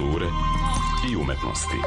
kulture i umetnosti.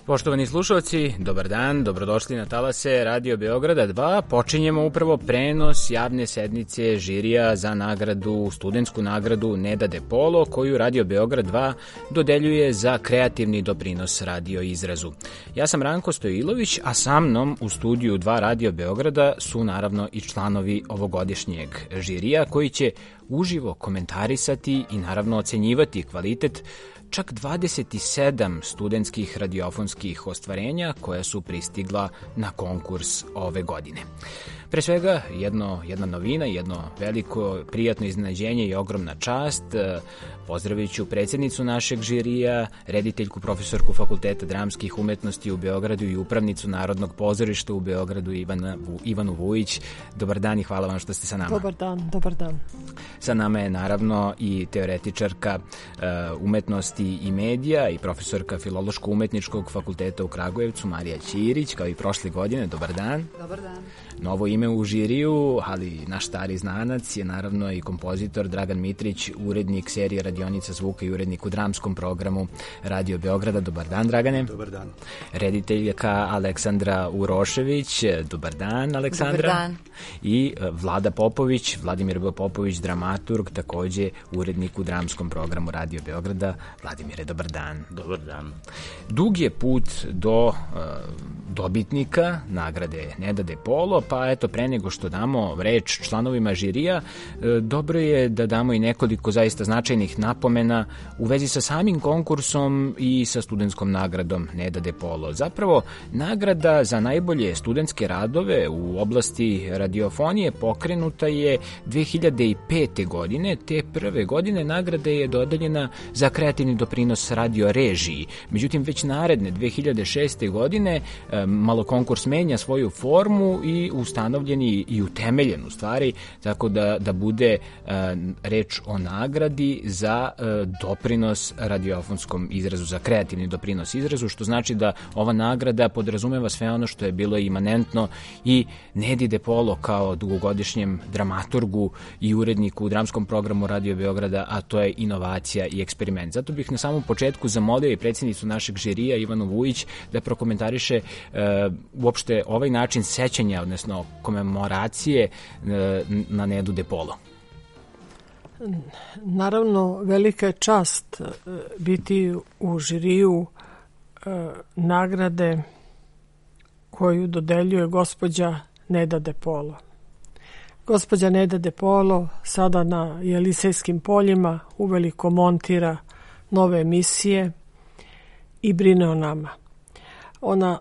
Poštovani slušalci, dobar dan, dobrodošli na talase Radio Beograda 2. Počinjemo upravo prenos javne sednice žirija za nagradu, studentsku nagradu Neda De Polo, koju Radio Beograd 2 dodeljuje za kreativni doprinos radio izrazu. Ja sam Ranko Stojilović, a sa mnom u studiju 2 Radio Beograda su naravno i članovi ovogodišnjeg žirija koji će uživo komentarisati i naravno ocenjivati kvalitet čak 27 studentskih radiofonskih ostvarenja koja su pristigla na konkurs ove godine. Pre svega, jedna novina, jedno veliko prijatno iznenađenje i ogromna čast. Pozdravit ću predsjednicu našeg žirija, rediteljku, profesorku Fakulteta dramskih umetnosti u Beogradu i upravnicu Narodnog pozorišta u Beogradu Ivanu Vujić. Dobar dan i hvala vam što ste sa nama. Dobar dan. Sa nama je naravno i teoretičarka umetnosti i medija i profesorka Filološko-umetničkog fakulteta u Kragujevcu Marija Ćirić, kao i prošle godine. Dobar dan. Dobar dan. Novo ime u žiriju, ali naš stari znanac je naravno i kompozitor Dragan Mitrić, urednik serije Radionica zvuka i urednik u dramskom programu Radio Beograda. Dobar dan, Dragane. Dobar dan. Rediteljka Aleksandra Urošević. Dobar dan, Aleksandra. Dobar dan. I Vlada Popović, Vladimir B. Popović, dramaturg, takođe urednik u dramskom programu Radio Beograda. Vladimire, dobar dan. Dobar dan. Dug je put do dobitnika nagrade Neda De Polo, pa eto, pre nego što damo reč članovima žirija, dobro je da damo i nekoliko zaista značajnih napomena u vezi sa samim konkursom i sa studentskom nagradom Neda De Polo. Zapravo, nagrada za najbolje studentske radove u oblasti radiofonije pokrenuta je 2005. godine, te prve godine nagrada je dodeljena za kreativni doprinos radio režiji. Međutim, već naredne 2006. godine malo konkurs menja svoju formu i ustanovljen i utemeljen u stvari, tako da bude reč o nagradi za doprinos radiofonskom izrazu, za kreativni doprinos izrazu, što znači da ova nagrada podrazumeva sve ono što je bilo imanentno i Nedi De Polo kao dugogodišnjem dramaturgu i uredniku u dramskom programu Radio Beograda, a to je inovacija i eksperiment. Zato bih na samom početku zamolio i predsjednicu našeg žirija Ivanu Vujić da prokomentariše uopšte ovaj način sećanja, odnosno komemoracije na Nedu De Polo. Naravno, velika je čast biti u žiriju nagrade koju dodeljuje gospođa Neda De Polo. Gospođa Neda De Polo sada na Jelisejskim poljima uveliko montira nove emisije i brine o nama. Ona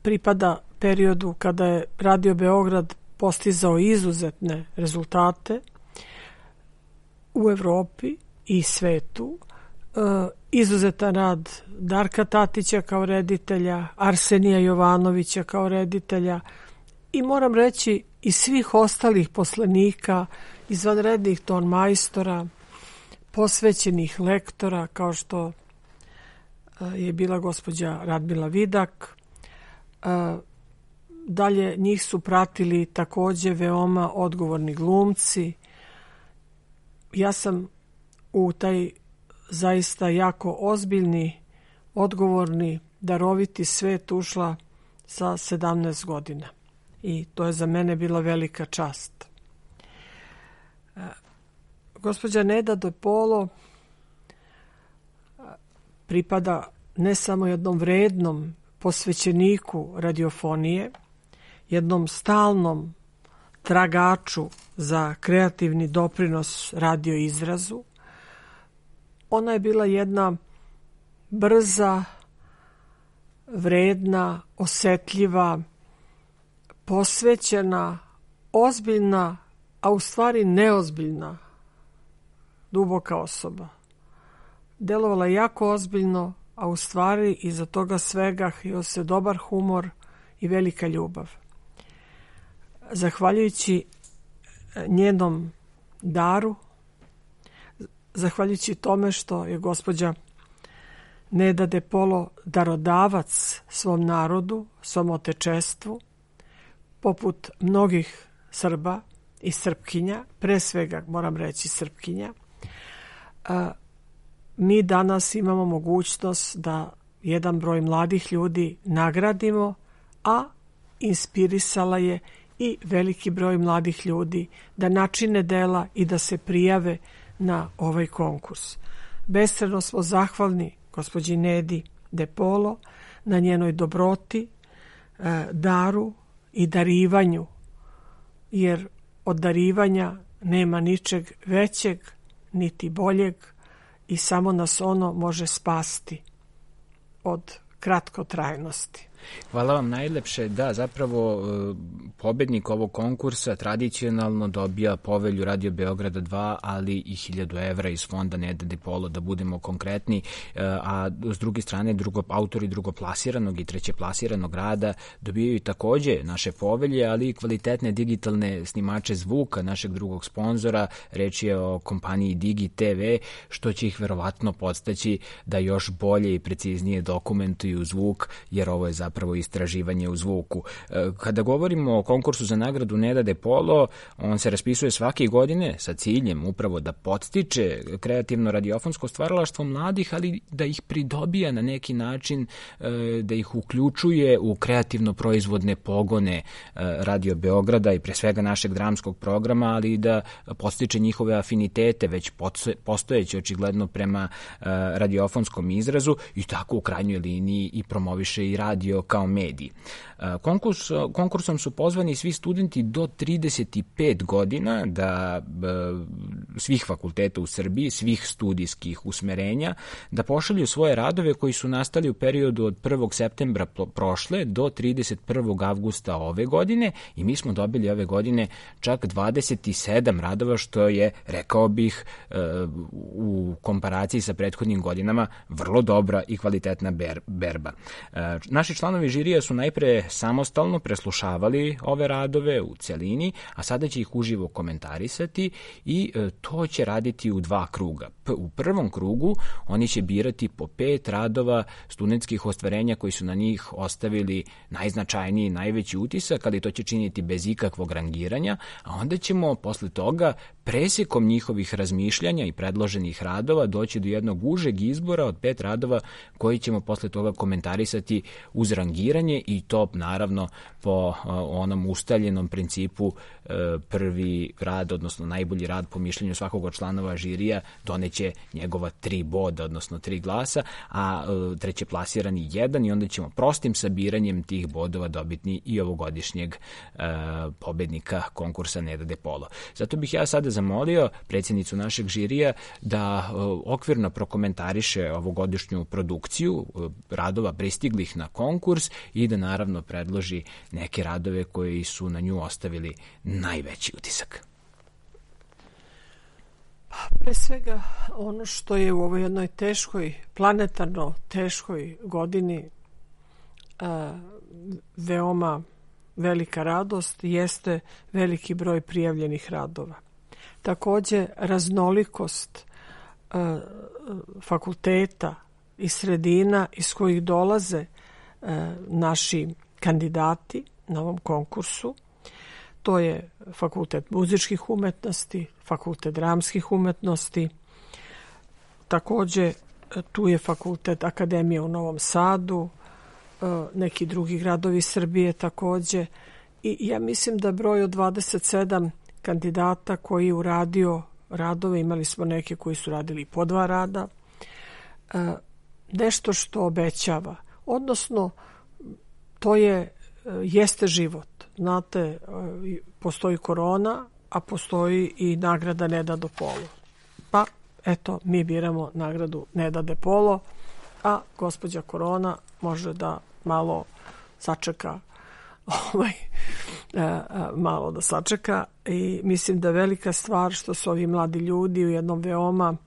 pripada periodu kada je Radio Beograd postizao izuzetne rezultate u Evropi i svetu. Izuzetan rad Darka Tatića kao reditelja, Arsenija Jovanovića kao reditelja i moram reći i svih ostalih poslenika, izvanrednih tonmajstora, posvećenih lektora kao što je bila gospođa Radmila Vidak. Dalje njih su pratili takođe veoma odgovorni glumci. Ja sam u taj zaista jako ozbiljni, odgovorni, daroviti svet ušla sa 17 godina. I to je za mene bila velika čast. Gospođa Neda De Polo pripada ne samo jednom vrednom posvećeniku radiofonije, jednom stalnom tragaču za kreativni doprinos radio izrazu. Ona je bila jedna brza, vredna, osetljiva, posvećena, ozbiljna, a u stvari neozbiljna, duboka osoba. Delovala jako ozbiljno, a u stvari iza toga svega hio se dobar humor i velika ljubav. zahvaljujući njenom daru, zahvaljujući tome što je gospođa Neda de Polo darodavac svom narodu, svom otečestvu, poput mnogih Srba i Srpkinja, pre svega moram reći Srpkinja, mi danas imamo mogućnost da jedan broj mladih ljudi nagradimo, a inspirisala je i veliki broj mladih ljudi da načine dela i da se prijave na ovaj konkurs. Beskrajno smo zahvalni gospođi Nedi de Polo na njenoj dobroti, daru i darivanju, jer od darivanja nema ničeg većeg niti boljeg i samo nas ono može spasti od kratkotrajnosti. Hvala vam najlepše. Da, zapravo pobednik ovog konkursa tradicionalno dobija povelju Radio Beograda 2, ali i 1000 evra iz fonda Neda de Polo, da budemo konkretni, a s druge strane autori drugoplasiranog i trećeplasiranog rada dobijaju takođe naše povelje, ali i kvalitetne digitalne snimače zvuka našeg drugog sponzora. Reč je o kompaniji Digi TV, što će ih verovatno podstaći da još bolje i preciznije dokumentuju zvuk, jer ovo je zapravo istraživanje u zvuku. Kada govorimo o konkursu za nagradu Neda de Polo, on se raspisuje svake godine sa ciljem upravo da podstiče kreativno radiofonsko stvaralaštvo mladih, ali da ih pridobija na neki način, da ih uključuje u kreativno proizvodne pogone Radio Beograda i pre svega našeg dramskog programa, ali i da podstiče njihove afinitete već postojeće očigledno prema radiofonskom izrazu i tako u krajnjoj liniji i promoviše i radio kao mediji. Konkursom su pozvani svi studenti do 35 godina svih fakulteta u Srbiji, svih studijskih usmerenja, da pošalju svoje radove koji su nastali u periodu od 1. septembra prošle do 31. avgusta ove godine, i mi smo dobili ove godine čak 27 radova, što je, rekao bih, u komparaciji sa prethodnim godinama vrlo dobra i kvalitetna berba. Naši članovi žirija su najpre samostalno preslušavali ove radove u celini, a sada će ih uživo komentarisati i to će raditi u 2 kruga. U prvom krugu oni će birati po 5 radova studentskih ostvarenja koji su na njih ostavili najznačajniji, najveći utisak, ali to će činiti bez ikakvog rangiranja, a onda ćemo posle toga presekom njihovih razmišljanja i predloženih radova doći do jednog užeg izbora od 5 radova koji ćemo posle toga komentarisati uz rangiranje, i to naravno po onom ustaljenom principu prvi rad, odnosno najbolji rad po mišljenju svakog od članova žirija doneće njegova 3 boda, odnosno 3 glasa, a treće plasirani 1, i onda ćemo prostim sabiranjem tih bodova dobiti i ovogodišnjeg pobednika konkursa Neda de Polo. Zato bih ja sada zamolio predsjednicu našeg žirija da okvirno prokomentariše ovogodišnju produkciju radova pristiglih na konkurs i da naravno predloži neke radove koji su na nju ostavili najveći utisak. Pre svega, ono što je u ovoj jednoj teškoj, planetarno teškoj godini veoma velika radost jeste veliki broj prijavljenih radova. Takođe, raznolikost fakulteta i sredina iz kojih dolaze naši kandidati na ovom konkursu. To je Fakultet muzičkih umetnosti, Fakultet dramskih umetnosti, takođe tu je Fakultet Akademije u Novom Sadu, neki drugi gradovi Srbije takođe, i ja mislim da broj od 27 kandidata koji je uradio radove, imali smo neke koji su radili po 2 rada, nešto što obećava, odnosno to jeste život. Znate, postoji korona, a postoji i nagrada Neda de Polo. Pa, eto, mi biramo nagradu Neda de Polo, a gospođa korona može da malo sačeka, malo da sačeka, i mislim da je velika stvar što su ovi mladi ljudi u jednom veoma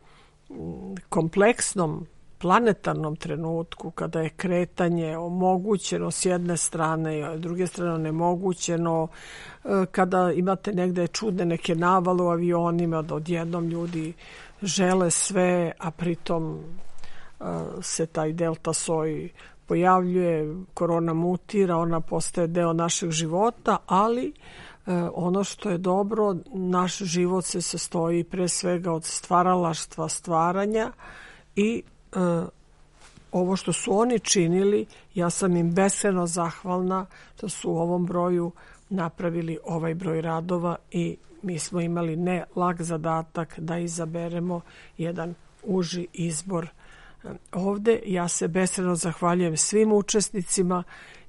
kompleksnom planetarnom trenutku, kada je kretanje omogućeno s jedne strane, a s druge strane onemogućeno, kada imate negde čudne neke navale u avionima, da odjednom ljudi žele sve, a pritom se taj delta soj pojavljuje, korona mutira, ona postaje deo našeg života, ali ono što je dobro, naš život se sastoji pre svega od stvaralaštva, stvaranja i ovo što su oni činili, ja sam im beskrajno zahvalna što su u ovom broju napravili ovaj broj radova i mi smo imali ne lak zadatak da izaberemo jedan uži izbor ovde. Ja se beskrajno zahvaljujem svim učesnicima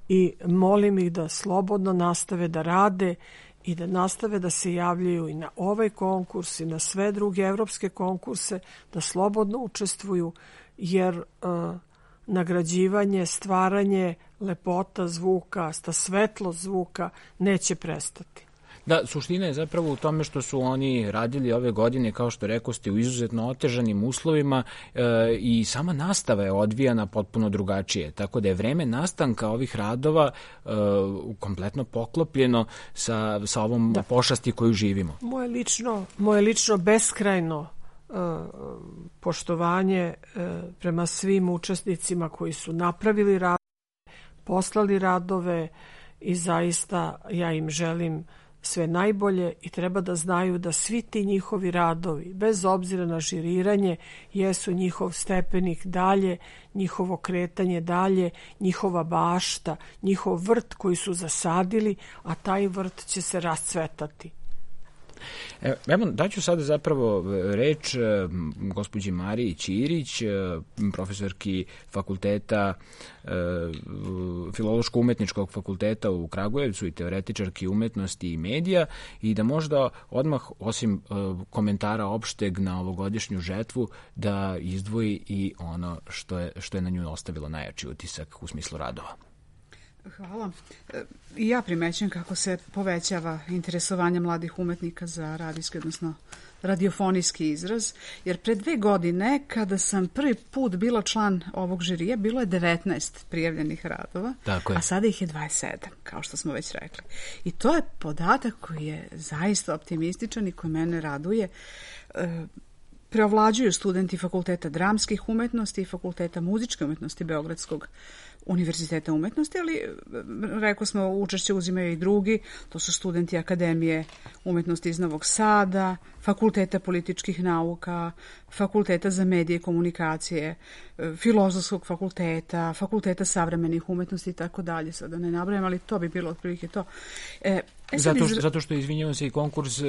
i molim ih da slobodno nastave da rade i da nastave da se javljaju i na ovaj konkurs i na sve druge evropske konkurse, da slobodno učestvuju, jer nagrađivanje, stvaranje, lepota zvuka, ta svetlost zvuka neće prestati. Da, suština je zapravo u tome što su oni radili ove godine, kao što rekao ste, u izuzetno otežanim uslovima i sama nastava je odvijana potpuno drugačije. Tako da je vreme nastanka ovih radova kompletno poklopljeno sa ovom pošasti koju živimo. Moje lično beskrajno poštovanje prema svim učesnicima koji su napravili radove, poslali radove i zaista ja im želim sve najbolje i treba da znaju da svi ti njihovi radovi, bez obzira na žiriranje, jesu njihov stepenik dalje, njihovo kretanje dalje, njihova bašta, njihov vrt koji su zasadili, a taj vrt će se rascvetati. Evo, daću sada zapravo reč gospođi Mariji Ćirić, profesorki fakulteta, Filološko-umetničkog fakulteta u Kragujevcu i teoretičarki umetnosti i medija, i da možda odmah, osim komentara opšteg na ovogodišnju žetvu, da izdvoji i ono što je na nju ostavilo najjači utisak u smislu radova. Hvala. I ja primećujem kako se povećava interesovanje mladih umetnika za radijski, odnosno radiofonijski izraz, jer pre 2 godine, kada sam prvi put bila član ovog žirija, bilo je 19 prijavljenih radova, a sada ih je 27, kao što smo već rekli. I to je podatak koji je zaista optimističan i koji mene raduje. Preovlađuju studenti Fakulteta dramskih umetnosti i Fakulteta muzičke umetnosti Beogradskog univerziteta umetnosti, ali rekao smo, učešće uzimaju i drugi, to su studenti Akademije umetnosti iz Novog Sada, Fakulteta političkih nauka, Fakulteta za medije i komunikacije, Filozofskog fakulteta, Fakulteta savremenih umetnosti i tako dalje, sada ne nabrajam, ali to bi bilo otprilike to. Zato što, izvinjavam se, i konkurs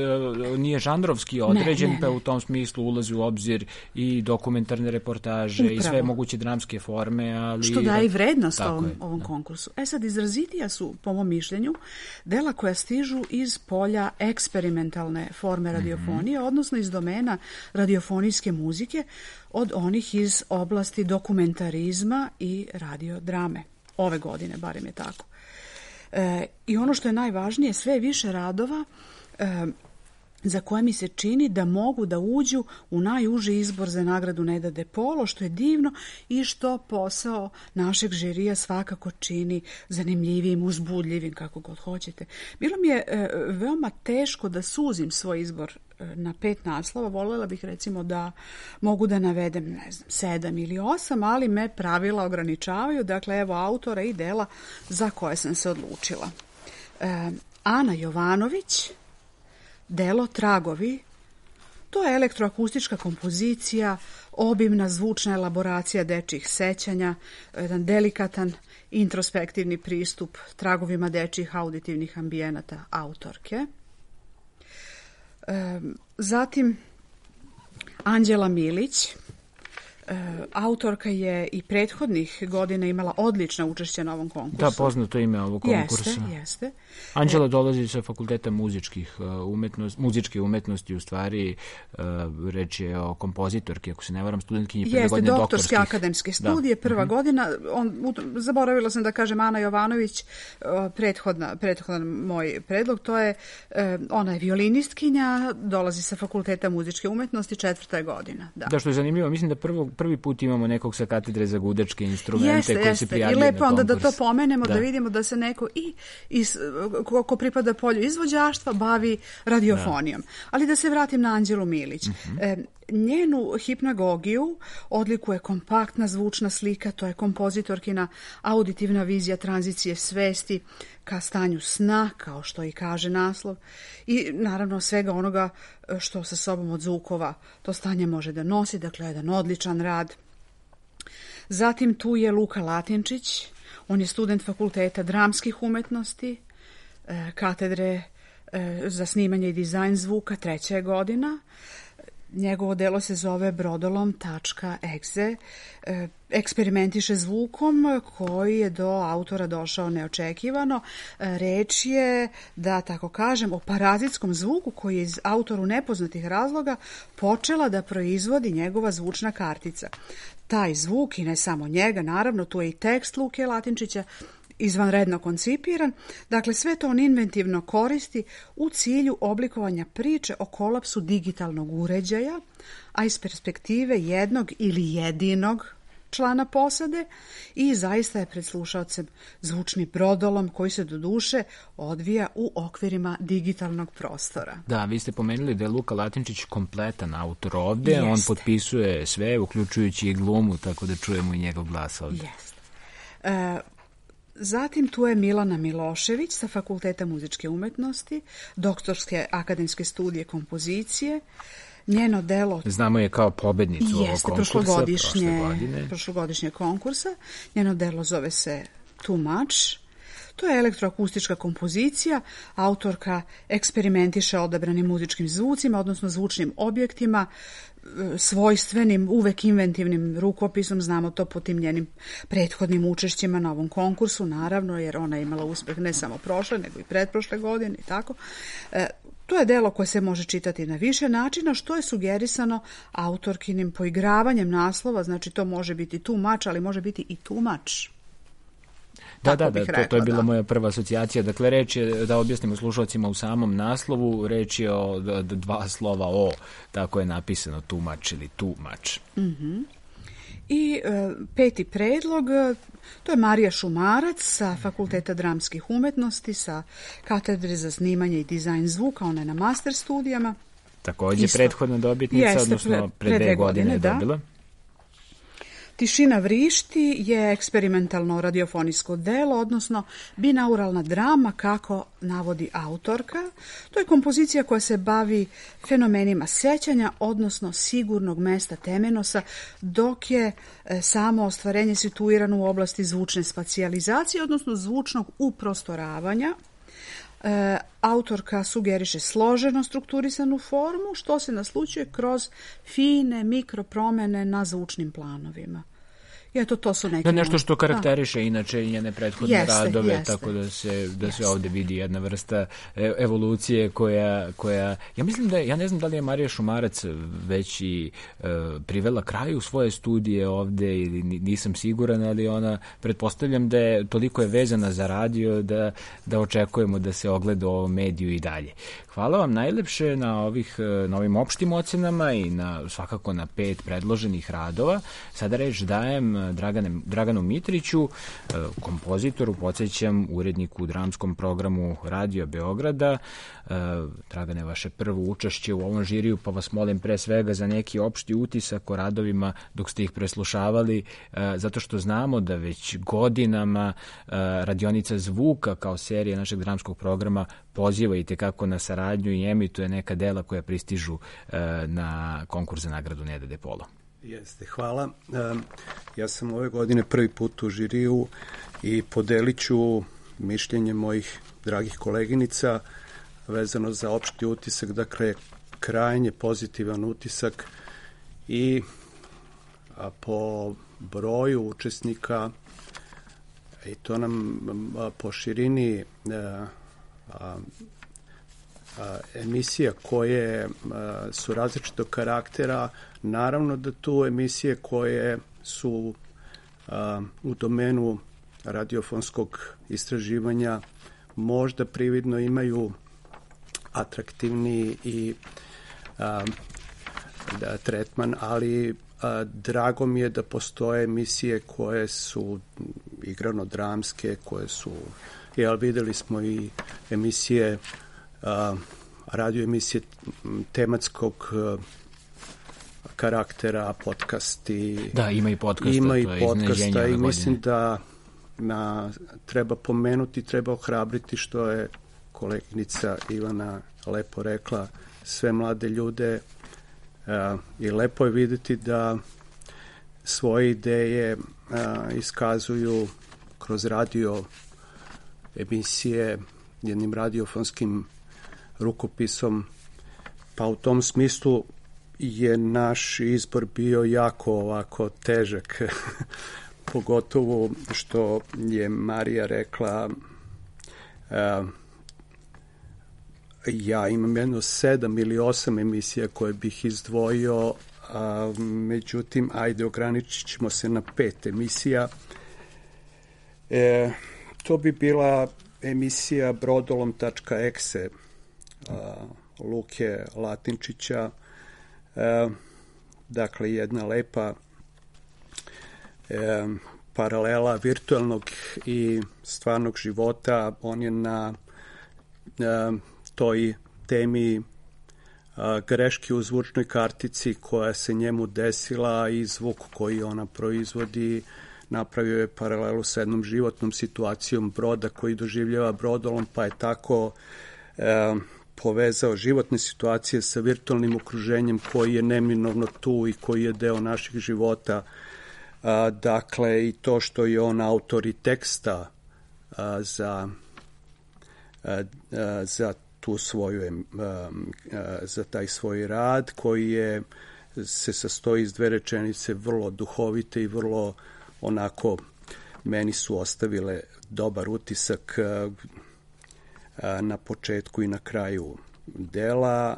nije žanrovski određen, pa u tom smislu ulazi u obzir i dokumentarne reportaže i sve moguće dramske forme, ali... Što daje i vrednost ovom konkursu. Sad, izrazitija su, po mom mišljenju, dela koja stižu iz polja eksperimentalne forme radiofonije, odnosno iz domena radiofonijske muzike, od onih iz oblasti dokumentarizma i radiodrame. Ove godine, barem je tako. I ono što je najvažnije, sve više radova za koje mi se čini da mogu da uđu u najuži izbor za nagradu Neda De Polo, što je divno i što posao našeg žirija svakako čini zanimljivim, uzbudljivim, kako god hoćete. Bilo mi je veoma teško da suzim svoj izbor na 5 naslova. Voljela bih recimo da mogu da navedem, ne znam, 7 ili 8, ali me pravila ograničavaju. Dakle, evo autora i dela za koje sam se odlučila. Ana Jovanović, delo Tragovi. To je elektroakustička kompozicija, obimna zvučna elaboracija dečjih sećanja, jedan delikatan introspektivni pristup tragovima dečjih auditivnih ambijenata autorke. Zatim Anđela Milić, autorka je i prethodnih godina imala odlična učešća na ovom konkursu. Da, poznato ime ovog konkursa. Jeste. Anđela dolazi sa Fakulteta muzičke umetnosti, u stvari reč je o kompozitorki, ako se ne varam, studentkinji prve godine doktorskih. Jeste, doktorske akademske studije, prva godina. Zaboravila sam da kažem Ana Jovanović, prethodan moj predlog, to je, ona je violinistkinja, dolazi sa Fakulteta muzičke umetnosti, 4. godina. Da, što je zanimljivo, mislim da prvog prvi put imamo nekog sa katedre za gudačke instrumente koji se prijavljaju na konkurs. I lepo onda da to pomenemo, da vidimo da se neko ko pripada polju izvođaštva bavi radiofonijom. Ali da se vratim na Anđelu Milić. Njenu hipnagogiju odlikuje kompaktna zvučna slika, to je kompozitorkina auditivna vizija tranzicije svesti ka stanju sna, kao što i kaže naslov, i naravno svega onoga što sa sobom od zvukova to stanje može da nosi, dakle jedan odličan rad. Zatim tu je Luka Latinčić, on je student Fakulteta dramskih umetnosti, katedre za snimanje i dizajn zvuka, 3. godina. Njegovo delo se zove Brodolom.exe. Eksperimentiše zvukom koji je do autora došao neočekivano. Reč je, da tako kažem, o parazitskom zvuku koji je iz autoru nepoznatih razloga počela da proizvodi njegova zvučna kartica. Taj zvuk, i ne samo njega, naravno, tu je i tekst Luke Latinčića, izvanredno koncipiran. Dakle, sve to on inventivno koristi u cilju oblikovanja priče o kolapsu digitalnog uređaja, a iz perspektive jednog ili jedinog člana posade, i zaista je pred slušaocem zvučni brodolom koji se do duše odvija u okvirima digitalnog prostora. Da, vi ste pomenuli da je Luka Latinčić kompletan autor ovde. Jeste. On potpisuje sve, uključujući i glumu, tako da čujemo i njegov glas ovde. Jeste. Zatim tu je Milana Milošević sa Fakulteta muzičke umetnosti, doktorske akademske studije kompozicije. Njeno delo... Znamo je kao pobednicu ovog konkursa prošlogodišnje konkursa. Njeno delo zove se Too Much. To je elektroakustička kompozicija. Autorka eksperimentiše odabranim muzičkim zvucima, odnosno zvučnim objektima, svojstvenim, uvek inventivnim rukopisom. Znamo to po tim njenim prethodnim učešćima na ovom konkursu, naravno, jer ona je imala uspeh ne samo prošle, nego i pretprošle godine i tako. To je delo koje se može čitati na više načina, što je sugerisano autorkinim poigravanjem naslova. Znači, to može biti too much, ali može biti i too much. Da, to je bila moja prva asocijacija. Dakle, reč je, da objasnimo slušalcima, u samom naslovu, reč je o 2 slova O, tako je napisano too much ili too much. I 5. predlog, to je Marija Šumarac sa Fakulteta dramskih umetnosti, sa katedre za snimanje i dizajn zvuka, ona je na master studijama. Takođe prethodna dobitnica, odnosno pre 2 godine je dobila. Tišina vrišti je eksperimentalno radiofonijsko delo, odnosno binauralna drama, kako navodi autorka. To je kompozicija koja se bavi fenomenima sećanja, odnosno sigurnog mesta temenosa, dok je samo ostvarenje situirano u oblasti zvučne spacijalizacije, odnosno zvučnog uprostoravanja. Autorka sugeriše složeno strukturisanu formu, što se naslućuje kroz fine mikropromene na zvučnim planovima. I eto, to su neki... nešto što karakteriše inače i njene prethodne radove, tako da se ovde vidi jedna vrsta evolucije koja... Ja ne znam da li je Marija Šumarac već i privela kraju svoje studije ovde, ili nisam siguran, ali ona, pretpostavljam da je toliko vezana za radio da očekujemo da se ogleda u ovom mediju i dalje. Hvala vam najlepše na ovim opštim ocenama i svakako na 5 predloženih radova. Sada reč dajem Draganu Mitriću, kompozitoru, podsjećam, uredniku u dramskom programu Radio Beograda. Dragane, vaše prvo učešće u ovom žiriju, pa vas molim pre svega za neki opšti utisak o radovima dok ste ih preslušavali, zato što znamo da već godinama Radionica zvuka kao serija našeg dramskog programa poziva i tekako na saradnju i emituje neka dela koja pristižu na konkurs za nagradu Neda de Polo. Jeste, hvala. Ja sam ove godine prvi put u žiriju i podelit ću mišljenje mojih dragih koleginica vezano za opšti utisak, dakle krajnje pozitivan utisak i po broju učesnika i to nam po širini emisija koje su različitog karaktera, naravno da tu emisije koje su u domenu radiofonskog istraživanja možda prividno imaju atraktivniji i tretman, ali drago mi je da postoje emisije koje su igrano-dramske, koje su, videli smo i emisije, radio emisije tematskog karaktera, podcasti. Da, ima i podcasta. Ima i podcasta i mislim da treba pomenuti, treba ohrabriti što je koleginica Ivana lepo rekla, sve mlade ljude i lepo je vidjeti da svoje ideje iskazuju kroz radio emisije, jednim radiofonskim rukopisom, pa u tom smislu je naš izbor bio jako ovako težak, pogotovo što je Marija rekla, ja imam jedno 7 ili 8 emisija koje bih izdvojio, međutim, ajde, ograničit ćemo se na 5 emisija. To bi bila emisija brodolom.exe Luke Latinčića, dakle jedna lepa paralela virtualnog i stvarnog života. On je na toj temi greške u zvučnoj kartici koja se njemu desila i zvuk koji ona proizvodi, napravio je paralelu sa jednom životnom situacijom broda koji doživljava brodolom, pa je tako povezao životne situacije sa virtualnim okruženjem koji je neminovno tu i koji je deo naših života. Dakle, i to što je on autor i teksta za tu svoju, za taj svoj rad koji se sastoji iz 2 rečenice, vrlo duhovite i vrlo onako meni su ostavile dobar utisak na početku i na kraju dela,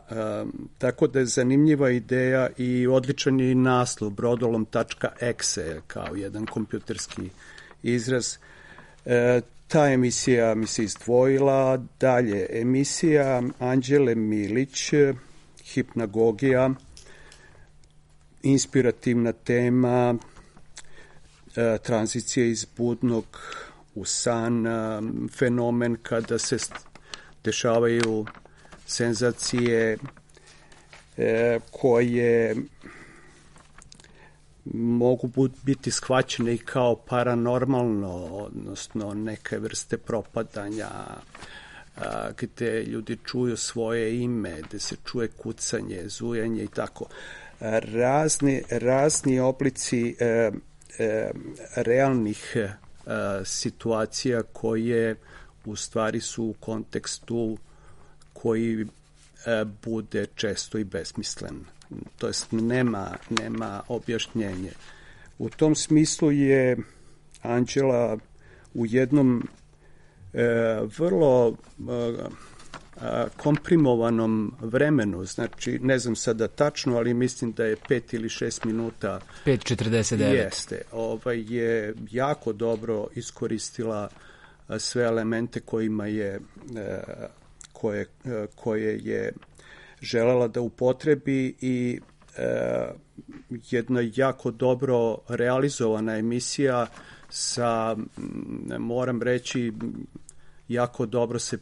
tako da je zanimljiva ideja i odličan je i naslov brodolom.exe kao jedan kompjuterski izraz. Ta emisija mi se izdvojila. Dalje, emisija Anđele Milić, Hipnagogija, inspirativna tema, tranzicija iz budnog u san, fenomen kada se dešavaju senzacije koje mogu biti shvaćene i kao paranormalno, odnosno neke vrste propadanja, gde ljudi čuju svoje ime, gde se čuje kucanje, zujanje i tako. Razni oblici realnih situacija koje u stvari su u kontekstu koji bude često i besmislen. To jest nema objašnjenje. U tom smislu je Anđela u jednom vrlo komprimovanom vremenu, znači ne znam sada tačno, ali mislim da je 5 ili 6 minuta 5:49 jeste, je jako dobro iskoristila sve elemente kojima je koje je želela da upotrebi i jedna jako dobro realizovana emisija sa, moram reći, jako dobro se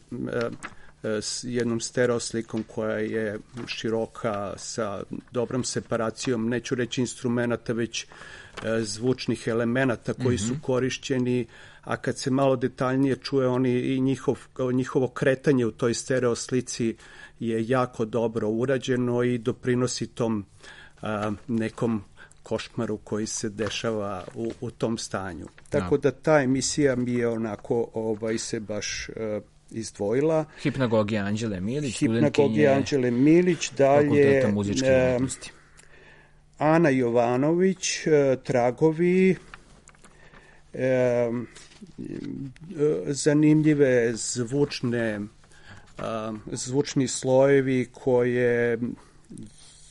s jednom stereo slikom koja je široka, sa dobrom separacijom, neću reći instrumenta, već zvučnih elemenata koji su korišćeni, a kad se malo detaljnije čuje i njihovo kretanje u toj stereo slici je jako dobro urađeno i doprinosi tom nekom košmaru koji se dešava u tom stanju. Tako da ta emisija mi je onako se baš izdvojila. Hipnagogija Anđele Milić, dalje Ana Jovanović, Tragovi, zanimljive zvučni slojevi koje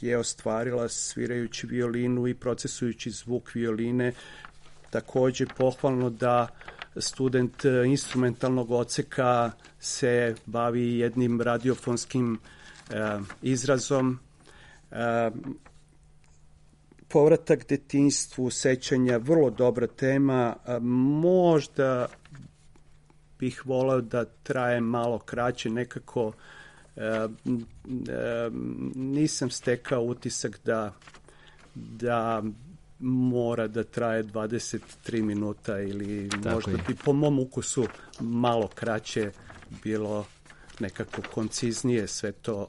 je ostvarila svirajući violinu i procesujući zvuk violine. Takođe pohvalno da student instrumentalnog odseka se bavi jednim radiofonskim izrazom. povratak detinjstvu, sećanja, vrlo dobra tema. Možda bih voleo da traje malo kraće, nekako nisam stekao utisak da mora da traje 23 minuta ili možda bi po mom ukusu malo kraće bilo nekako konciznije sve to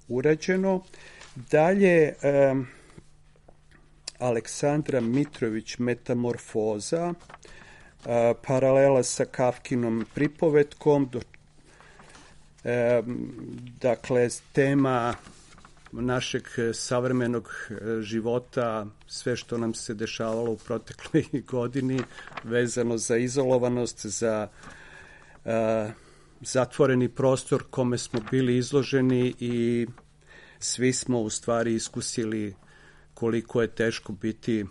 urađeno. Dalje, Aleksandra Mitrović, Metamorfoza, paralela sa Kafkinom pripovetkom, dakle, tema našeg savremenog života, sve što nam se dešavalo u protekloj godini, vezano za izolovanost, za zatvoreni prostor kome smo bili izloženi i svi smo u stvari iskusili koliko je teško biti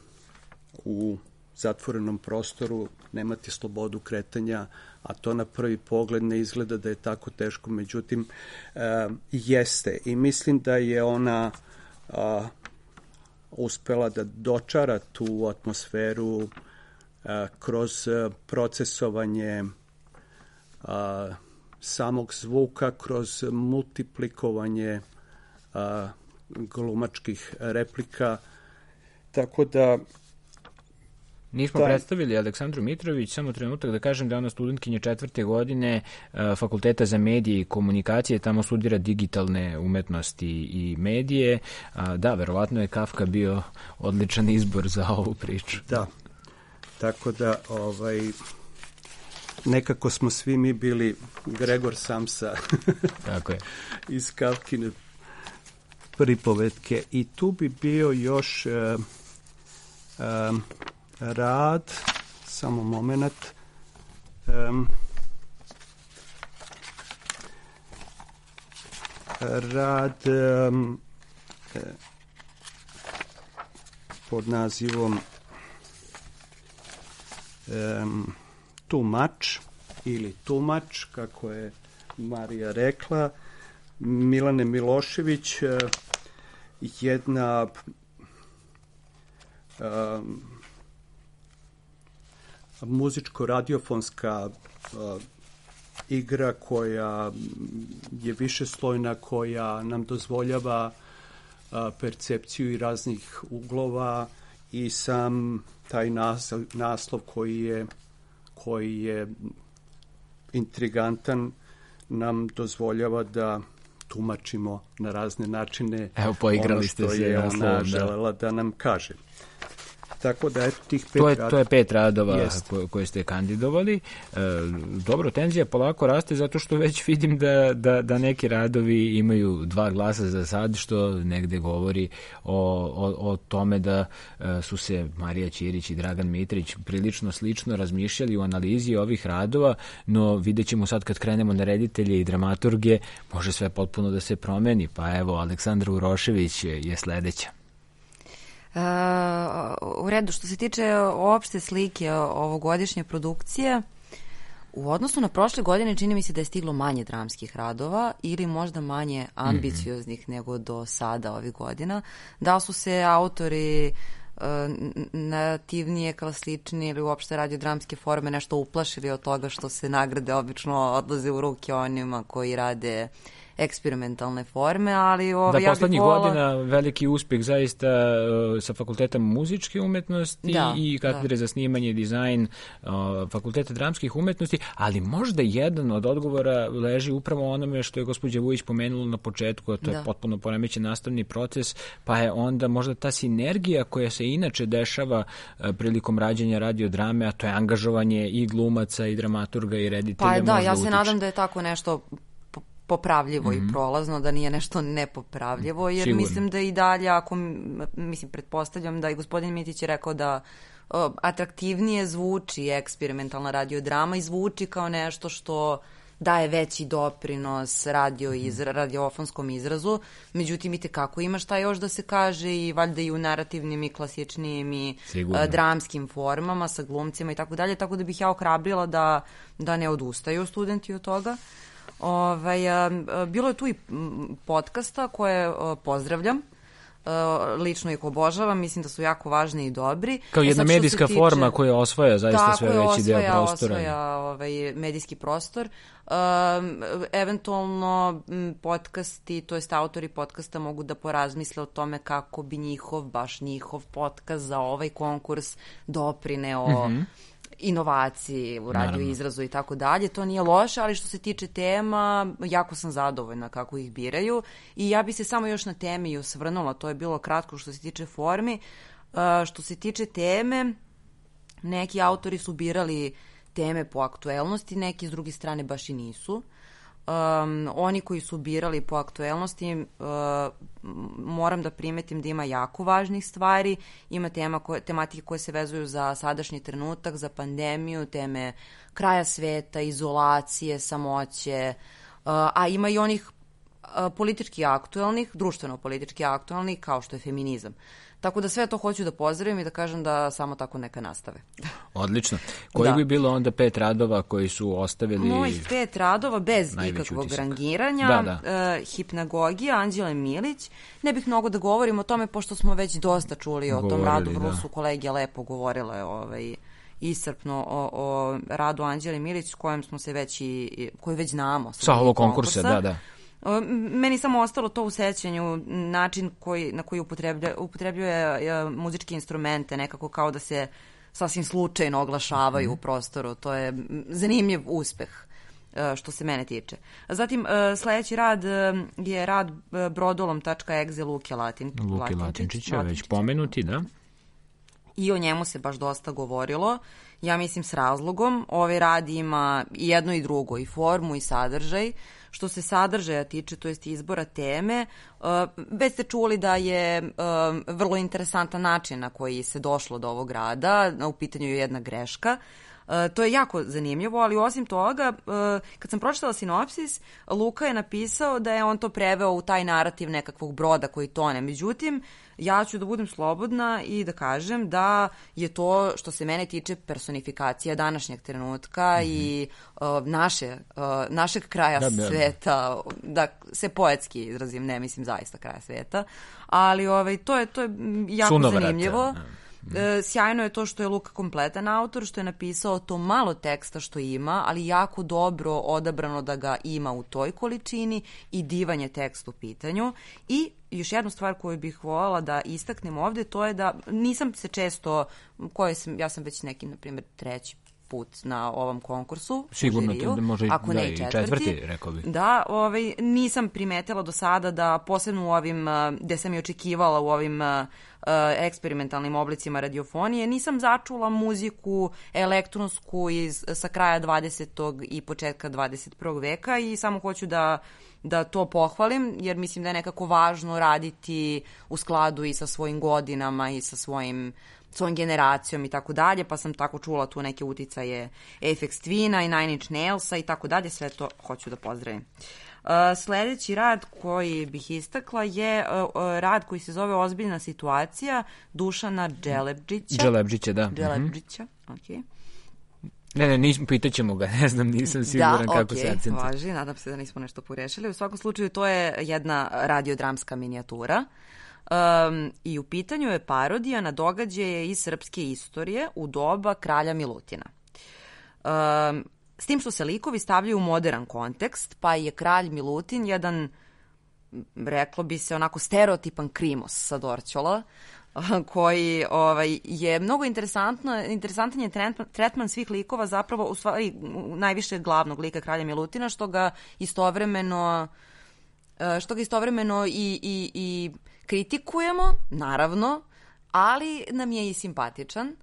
u zatvorenom prostoru, nemati slobodu kretanja, a to na prvi pogled ne izgleda da je tako teško, međutim jeste. I mislim da je ona uspela da dočara tu atmosferu kroz procesovanje samog zvuka, kroz multiplikovanje glumačkih replika, tako da Nismo predstavili Aleksandru Mitrović, samo trenutak da kažem da je ona studentkinja 4. godine Fakulteta za medije i komunikacije, tamo studira digitalne umetnosti i medije. Da, verovatno je Kafka bio odličan izbor za ovu priču. Da, tako da nekako smo svi mi bili Gregor Samsa tako je. Iz Kafkine pripovetke. I tu bi bio još rad, samo moment, rad pod nazivom Tumač ili Tumač, kako je Marija rekla, Milane Milošević, jedna muzičko-radiofonska igra koja je višeslojna, koja nam dozvoljava percepciju i raznih uglova i sam taj naslov koji je intrigantan nam dozvoljava da tumačimo na razne načine. Evo, poigrali ste se. Je ona želela da nam kaže. Tako da eto tih 5 radova. To je 5 radova koje ste kandidovali. Dobro, tenzija polako raste zato što već vidim da neki radovi imaju 2 glasa za sad, što negde govori o tome da su se Marija Ćirić i Dragan Mitrić prilično slično razmišljali u analizi ovih radova, no vidjet ćemo sad kad krenemo na reditelje i dramaturge, može sve potpuno da se promeni. Pa evo, Aleksandra Urošević je sledeća. U redu, što se tiče opšte slike ovogodišnje produkcije, u odnosu na prošle godine čini mi se da je stiglo manje dramskih radova ili možda manje ambicioznih nego do sada ovih godina. Da su se autori nativnije, klasičnije ili uopšte radiodramske forme nešto uplašili od toga što se nagrade obično odlaze u ruke onima koji rade eksperimentalne forme, ali poslednjih godina veliki uspeh zaista sa Fakulteta muzičke umetnosti i katedre za snimanje i dizajn Fakulteta dramskih umetnosti, ali možda jedan od odgovora leži upravo onome što je gospođa Vujić pomenula na početku, a to je potpuno poremećen nastavni proces, pa je onda možda ta sinergija koja se inače dešava prilikom rađenja radiodrame, a to je angažovanje i glumaca i dramaturga i reditelja. Pa da, ja se nadam da je tako nešto popravljivo i prolazno, da nije nešto nepopravljivo, jer sigurno. Mislim da i dalje, pretpostavljam da i gospodin Mitić je rekao da atraktivnije zvuči eksperimentalna radiodrama i zvuči kao nešto što daje veći doprinos radiofonskom izrazu, međutim i tekako ima šta još da se kaže i valjda i u narativnim i klasičnijim i dramskim formama sa glumcima i tako dalje, tako da bih ja ohrabrila da ne odustaju studenti od toga. Bilo je tu i podcasta koje pozdravljam. lično ih obožavam, mislim da su jako važni i dobri. Kao jedna medijska forma koja osvaja zaista sve veći deo prostora. Osvaja medijski prostor. Eventualno podcasti, to jest autori podcasta mogu da porazmisle o tome kako bi baš njihov podcast za ovaj konkurs doprineo inovaciji u radio izrazu i tako dalje. To nije loše, ali što se tiče tema, jako sam zadovoljna kako ih biraju i ja bi se samo još na temi osvrnula, to je bilo kratko što se tiče formi. Što se tiče teme, neki autori su birali teme po aktuelnosti, neki s druge strane baš i nisu. Oni koji su birali po aktuelnosti, moram da primetim da ima jako važnih stvari, ima tematike koje se vezuju za sadašnji trenutak, za pandemiju, teme kraja sveta, izolacije, samoće, a ima i onih politički aktuelnih, društveno politički aktuelnih, kao što je feminizam. Tako da sve to hoću da pozdravim i da kažem da samo tako neka nastave. Odlično. Koji bi bilo onda 5 radova koji su ostavili... Mojih 5 radova bez ikakvog rangiranja. Hipnagogija, Anđele Milić. Ne bih mnogo da govorim o tome, pošto smo već dosta čuli o tom radu. Vrlo su kolege lepo govorile iscrpno o radu Anđele Milić, koju već znamo. Sa ovog konkursa, da. Meni samo ostalo to u sećanju, način na koji upotrebljuje muzičke instrumente, nekako kao da se sasvim slučajno oglašavaju u prostoru. To je zanimljiv uspeh što se mene tiče. Zatim, sledeći rad je rad brodolom.exe Luke Latinčića, već pomenuti, da. I o njemu se baš dosta govorilo. Ja mislim s razlogom. Ovaj rad ima i jedno i drugo, i formu i sadržaj. Što se sadržaja tiče, to jest izbora teme, već ste čuli da je vrlo interesantan način na koji se došlo do ovog rada, u pitanju je jedna greška. To je jako zanimljivo, ali osim toga, kad sam pročitala sinopsis, Luka je napisao da je on to preveo u taj narativ nekakvog broda koji tone. Međutim, ja ću da budem slobodna i da kažem da je to, što se mene tiče, personifikacija današnjeg trenutka i našeg kraja sveta, da se poetski izrazim, ne mislim zaista kraja sveta, ali to je jako zanimljivo. Sjajno je to što je Luka kompletan autor, što je napisao to malo teksta što ima, ali jako dobro odabrano da ga ima u toj količini i divan je tekst u pitanju. I još jednu stvar koju bih voljela da istaknem ovde, to je da nisam se često, ja sam već neki, na primjer, 3. put na ovom konkursu. Sigurno to da može ako ne i četvrti, rekao bih. Da, nisam primetila do sada da, posebno u ovim, gde sam i očekivala u ovim eksperimentalnim oblicima radiofonije, nisam začula muziku elektronsku sa kraja 20. i početka 21. veka i samo hoću da to pohvalim, jer mislim da je nekako važno raditi u skladu i sa svojim godinama i sa svojom generacijom i tako dalje, pa sam tako čula tu neke uticaje Aphex Twina i Nine Inch Nailsa i tako dalje, sve to hoću da pozdravim. Sledeći rad koji bih istakla je rad koji se zove Ozbiljna situacija Dušana Dželebdžića. Dželebdžića, okej. Ne, pitaćemo ga, ne znam, nisam siguran kako se akcentira. Da, važi, nadam se da nismo nešto pogrešili. U svakom slučaju, to je jedna radiodramska minijatura. I u pitanju je parodija na događaje iz srpske istorije u doba kralja Milutina. S tim što se likovi stavljaju u modern kontekst, pa je kralj Milutin jedan, reklo bi se, onako stereotipan krimos sa Dorćola, koji je mnogo interesantan je tretman svih likova, zapravo u stvari najviše glavnog lika kralja Milutina, što ga istovremeno i kritikujemo, naravno, ali nam je i simpatičan,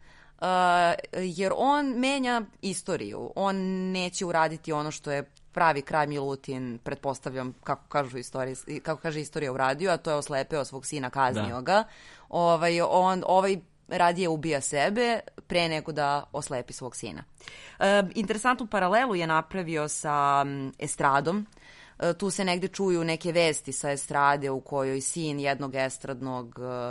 jer on menja istoriju. On neće uraditi ono što je pravi kralj Milutin, pretpostavljam, kako kaže istorija u radiju, a to je oslepeo svog sina, kaznio ga. Ovaj radije ubija sebe pre nego da oslepi svog sina. Interesantnu paralelu je napravio sa estradom. Tu se negde čuju neke vesti sa estrade u kojoj sin jednog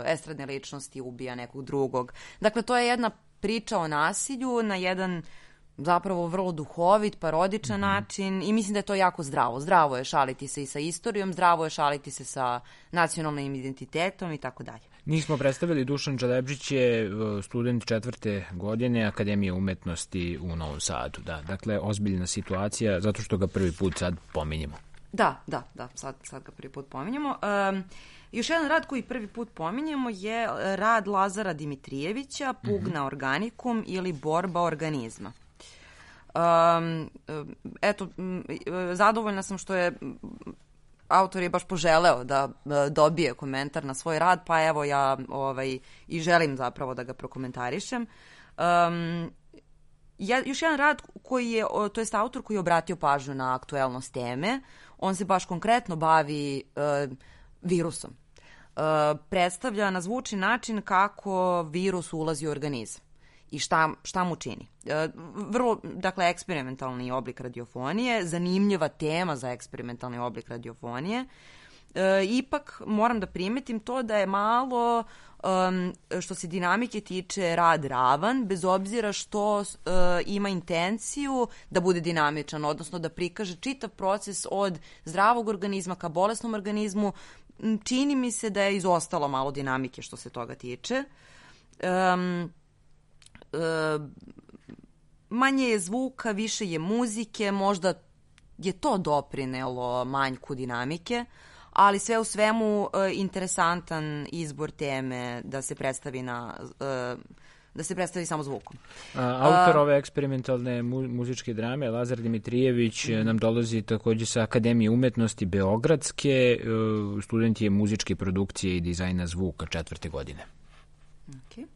estradne ličnosti ubija nekog drugog. Dakle, to je jedna priča o nasilju na jedan zapravo vrlo duhovit, parodičan način i mislim da je to jako zdravo. Zdravo je šaliti se i sa istorijom, zdravo je šaliti se sa nacionalnim identitetom i tako dalje. Nismo predstavili, Dušan Čalepžić je student 4. godine Akademije umetnosti u Novom Sadu. Da, dakle, ozbiljna situacija, zato što ga prvi put sad pominjemo. Da, sad ga prvi put pominjemo. Još jedan rad koji prvi put pominjemo je rad Lazara Dimitrijevića, Pugna organikum ili borba organizma. Zadovoljna sam što je autor je baš poželeo da dobije komentar na svoj rad, pa evo ja i želim zapravo da ga prokomentarišem. Još jedan rad koji je, to jest autor koji je obratio pažnju na aktuelnost teme, on se baš konkretno bavi virusom. Predstavlja na zvučni način kako virus ulazi u organizam i šta mu čini. Vrlo, dakle, eksperimentalni oblik radiofonije, zanimljiva tema za eksperimentalni oblik radiofonije. Ipak moram da primetim to da je malo, što se dinamike tiče, rad ravan, bez obzira što ima intenciju da bude dinamičan, odnosno da prikaže čitav proces od zdravog organizma ka bolesnom organizmu. Čini mi se da je izostalo malo dinamike što se toga tiče. Manje je zvuka, više je muzike, možda je to doprinelo manjku dinamike, ali sve u svemu interesantan izbor teme da se predstavi samo zvukom. Autor ove eksperimentalne muzičke drame, Lazar Dimitrijević, nam dolazi takođe sa Akademije umetnosti Beogradske, student je muzičke produkcije i dizajna zvuka 4. godine. Okay.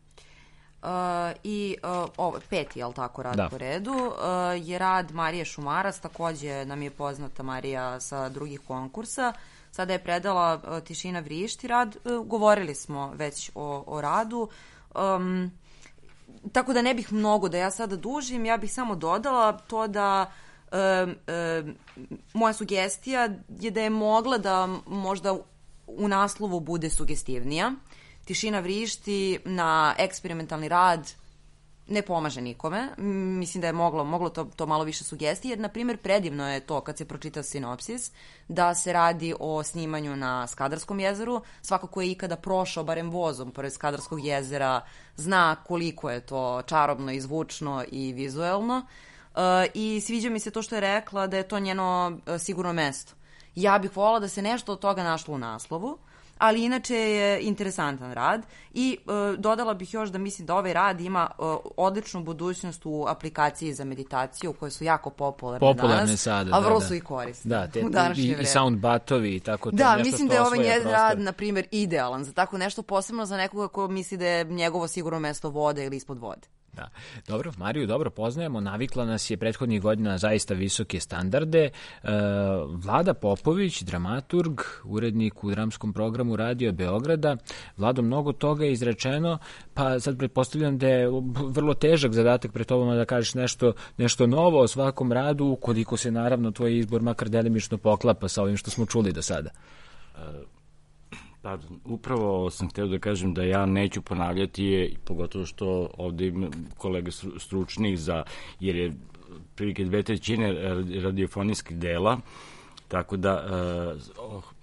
Ovo, 5. je li tako rad po redu, je rad Marije Šumarac, takođe nam je poznata Marija sa drugih konkursa. Sada je predala Tišina vrišti rad, govorili smo već o radu, tako da ne bih mnogo da ja sada dužim, ja bih samo dodala to da moja sugestija je da je mogla da možda u naslovu bude sugestivnija. Tišina vrišti na eksperimentalni rad ne pomaže nikome. Mislim da je moglo to malo više sugestije, jer, na primjer, predivno je to kad se pročita sinopsis, da se radi o snimanju na Skadarskom jezeru. Svako ko je ikada prošao barem vozom pored Skadarskog jezera zna koliko je to čarobno i zvučno i vizuelno. I sviđa mi se to što je rekla da je to njeno sigurno mesto. Ja bih volila da se nešto od toga našlo u naslovu, ali inače je interesantan rad i dodala bih još da mislim da ovaj rad ima odličnu budućnost u aplikaciji za meditaciju koje su jako popularne danas, sada, a vrlo su i korisne u današnje vreme. I soundbatovi i tako to. Da, mislim da je ovaj njen rad, na primjer, idealan za tako nešto, posebno za nekoga ko misli da je njegovo sigurno mesto vode ili ispod vode. Da. Dobro, Mariju dobro poznajemo, navikla nas je prethodnih godina zaista visoke standarde. Vlada Popović, dramaturg, urednik u dramskom programu Radio Beograda. Vlado, mnogo toga je izrečeno, pa sad pretpostavljam da je vrlo težak zadatak pred tobom da kažeš nešto novo o svakom radu, ukoliko se naravno tvoj izbor makar delimično poklapa sa ovim što smo čuli do sada. Pa, upravo sam hteo da kažem da ja neću ponavljati, pogotovo što ovde ima kolega stručnih jer je prilike 2/3 radiofonijskih dela, tako da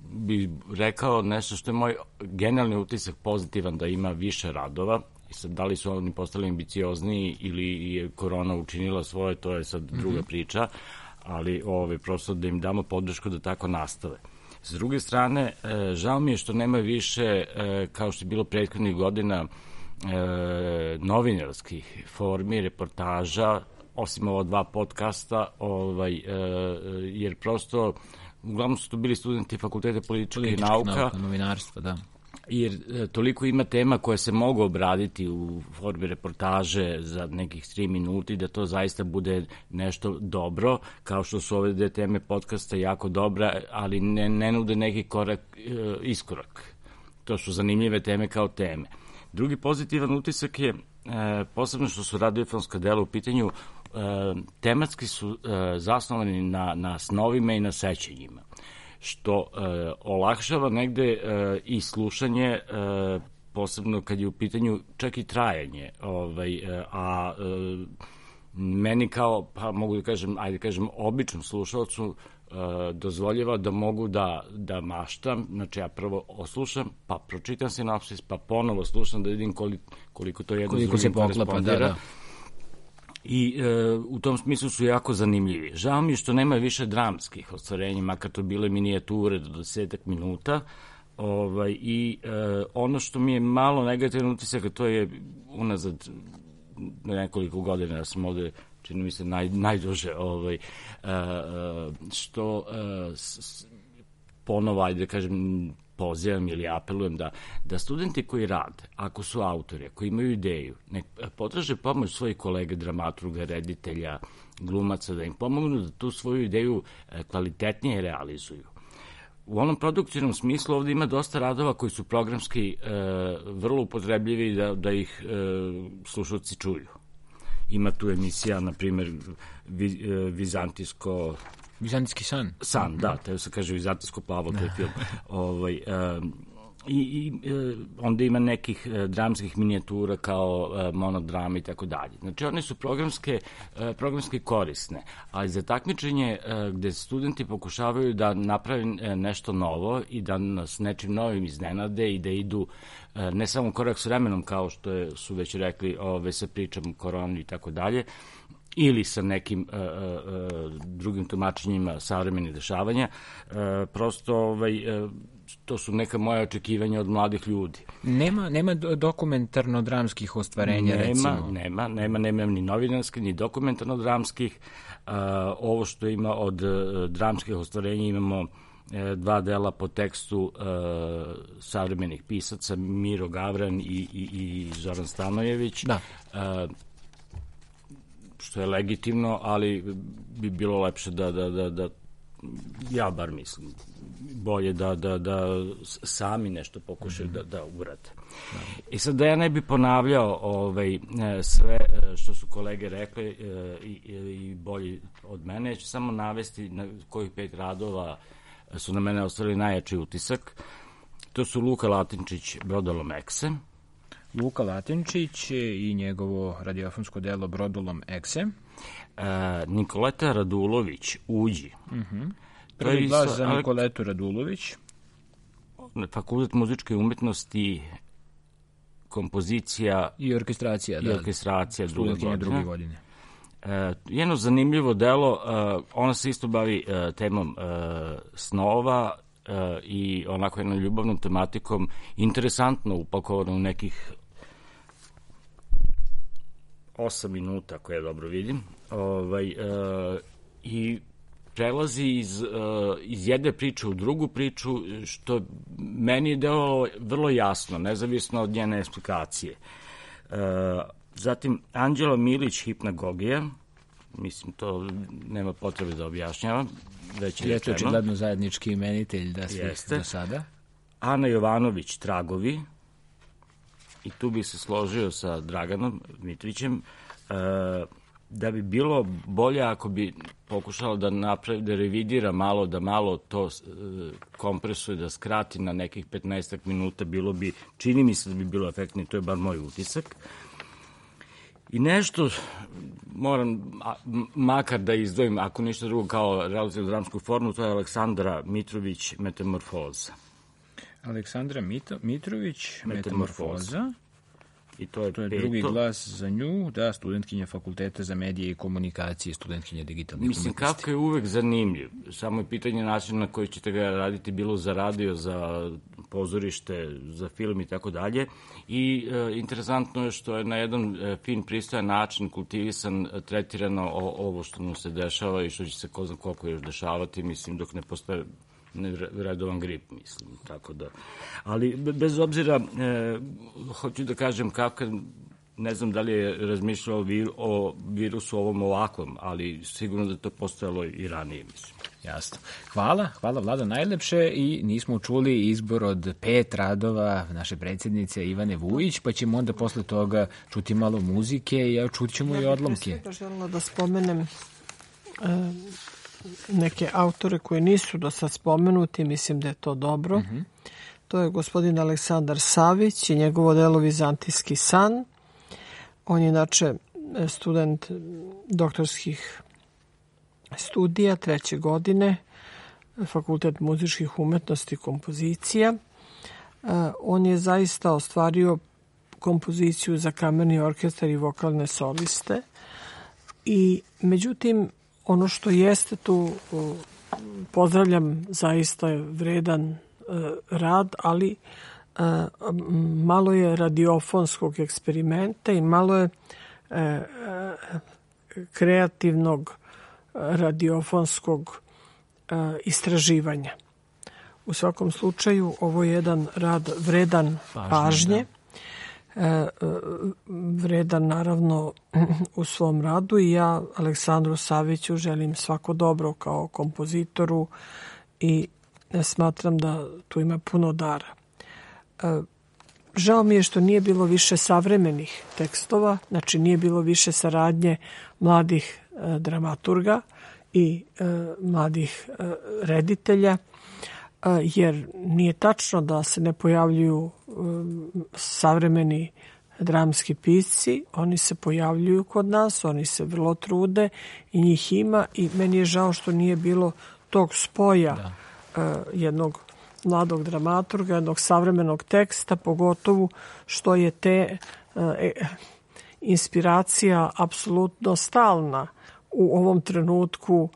bih rekao nešto što je moj generalni utisak pozitivan, da ima više radova. I sad, da li su oni postali ambiciozniji ili je korona učinila svoje, to je sad druga priča, ali prosto da im damo podršku da tako nastave. S druge strane, žao mi je što nema više, kao što je bilo prethodnih godina, novinarskih formi, reportaža, osim ova 2 podcasta, jer prosto, uglavnom su to bili studenti Fakulteta političkih nauka, novinarstva, da. Jer toliko ima tema koje se mogu obraditi u formi reportaže za nekih 3 minuti, da to zaista bude nešto dobro, kao što su ove 2 teme podcasta jako dobra, ali ne nude neki iskorak. To su zanimljive teme kao teme. Drugi pozitivan utisak je, posebno što su radiofonska dela u pitanju, tematski su zasnovani na snovima i na sećanjima, što olakšava negde i slušanje, posebno kad je u pitanju čak i trajanje, a meni kao, pa mogu da kažem, običnom slušalcu dozvoljava da mogu da maštam, znači ja prvo oslušam, pa pročitam sinopsis, pa ponovo slušam da vidim koliko to jedno s drugim korespondira. I u tom smislu su jako zanimljivi. Žao mi je što nema više dramskih ostvarenja, makar to bile minijature do 10 minuta, i ono što mi je malo negativan utisak, to je unazad nekoliko godina, ja sam ovde, čini mi se, najduže, što ponovo, ajde da kažem, pozivam ili apelujem da studenti koji rade, ako su autori, ako imaju ideju, nek potraže pomoć svojih kolega, dramaturga, reditelja, glumaca, da im pomognu da tu svoju ideju kvalitetnije realizuju. U onom produkcijnom smislu ovde ima dosta radova koji su programski vrlo upotrebljivi da ih slušalci čuju. Ima tu emisija, na primjer, Vizantijski san. San, da, teo se kaže Vizantijsko plavo, to je film. I onda ima nekih dramskih minijatura kao monodrama i tako dalje. Znači, one su programski korisne, ali za takmičenje gde studenti pokušavaju da naprave nešto novo i da nas nečim novim iznenade i da idu ne samo korak s vremenom, kao što su već rekli sa pričom koroni i tako dalje, ili sa nekim drugim tumačenjima savremenih dešavanja, prosto to su neka moja očekivanja od mladih ljudi. Nema dokumentarno-dramskih ostvarenja, recimo? Nema ni novinarskih, ni dokumentarno-dramskih. Ovo što ima od dramskih ostvarenja imamo 2 dela po tekstu savremenih pisaca, Miro Gavran i Zoran Stanojević. Da. Što je legitimno, ali bi bilo lepše da ja bar mislim, bolje da sami nešto pokušaju da urade. I sad da ja ne bi ponavljao sve što su kolege rekli i bolji od mene, ja ću samo navesti na kojih 5 radova su na mene ostavili najjači utisak. To su Luka Latinčić, Brodolom Ekse. Luka Latinčić i njegovo radiofonsko delo Brodolom Ekse. Nikoleta Radulović, Uđi. Prvi glas za Nikoletu Radulović. Fakultet muzičke umetnosti, kompozicija i orkestracija. druge godine. Jedno zanimljivo delo, ona se isto bavi temom snova i onako jednom ljubavnom tematikom, interesantno upakovano u nekih 8 minuta, ako ja dobro vidim, i prelazi iz jedne priče u drugu priču, što meni je delovalo vrlo jasno, nezavisno od njene eksplikacije. Zatim, Anđela Milić, Hipnagogija, mislim, to nema potrebe da objašnjavam, već je rečeno. Očigledno zajednički imenitelj da svih do sada. Ana Jovanović, Tragovi, i tu bi se složio sa Draganom Mitrićem, da bi bilo bolje ako bi pokušalo da napravi, da revidira malo, da malo to kompresuje, da skrati na nekih 15 minuta, bilo bi, čini mi se da bi bilo efektnije, to je bar moj utisak. I nešto moram makar da izdvojim, ako ništa drugo kao relativno dramsku formu, to je Aleksandra Mitrović, Metamorfoza. Aleksandra Mitrović, Metamorfoza. I to je drugi glas za nju, da, studentkinja Fakulteta za medije i komunikacije, studentkinja digitalnih umetnosti. Mislim, Kafka je uvek zanimljiv. Samo je pitanje načina na koji ćete ga raditi, bilo za radio, za pozorište, za film i tako dalje. I interesantno je što je na jedan fin, pristojan način, kultivisan, tretirano ovo što mu se dešava i što će se ko zna koliko još dešavati, mislim, dok ne postoje redovan grip, mislim, tako da. Ali, bez obzira, hoću da kažem, Kafka, ne znam da li je razmišljao o virusu ovom ovakvom, ali sigurno da to postojalo i ranije, mislim. Jasno. Hvala Vlado najlepše, i nismo čuli izbor od 5 radova naše predsjednice Ivane Vujić, pa ćemo onda posle toga čuti malo muzike i čut ćemo i odlomke. Ja bih željela da spomenem neke autore koji nisu do sad spomenuti, mislim da je to dobro. To je gospodin Aleksandar Savić i njegovo delo Vizantijski san. On je inače student doktorskih studija 3. godine, Fakultet muzičkih umetnosti i kompozicija. On je zaista ostvario kompoziciju za kamerni orkestar i vokalne soliste. I međutim, ono što jeste tu, pozdravljam, zaista je vredan rad, ali malo je radiofonskog eksperimenta i malo je kreativnog radiofonskog istraživanja. U svakom slučaju, ovo je jedan rad vredan pažnje, vredan naravno u svom radu, i ja Aleksandru Saviću želim svako dobro kao kompozitoru i smatram da tu ima puno dara. Žao mi je što nije bilo više savremenih tekstova, znači nije bilo više saradnje mladih dramaturga i mladih reditelja, jer nije tačno da se ne pojavljuju savremeni dramski pisci. Oni se pojavljuju kod nas, oni se vrlo trude i njih ima, i meni je žao što nije bilo tog spoja jednog mladog dramaturga, jednog savremenog teksta, pogotovo što je te inspiracija apsolutno stalna u ovom trenutku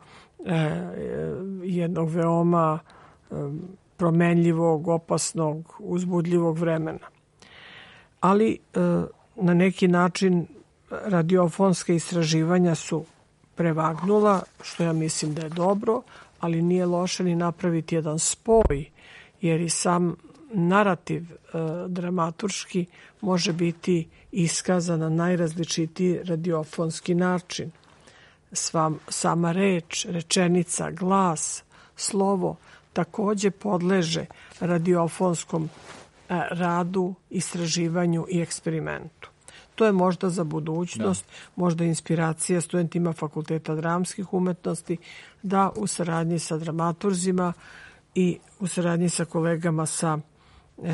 jednog veoma promenljivog, opasnog, uzbudljivog vremena. Ali na neki način radiofonska istraživanja su prevagnula, što ja mislim da je dobro, ali nije loše ni napraviti jedan spoj, jer i sam narativ dramaturški može biti iskazan na najrazličitiji radiofonski način. Sama reč, rečenica, glas, slovo takođe podleže radiofonskom radu, istraživanju i eksperimentu. To je možda za budućnost, možda inspiracija studentima Fakulteta dramskih umetnosti da u saradnji sa dramaturzima i u saradnji sa kolegama sa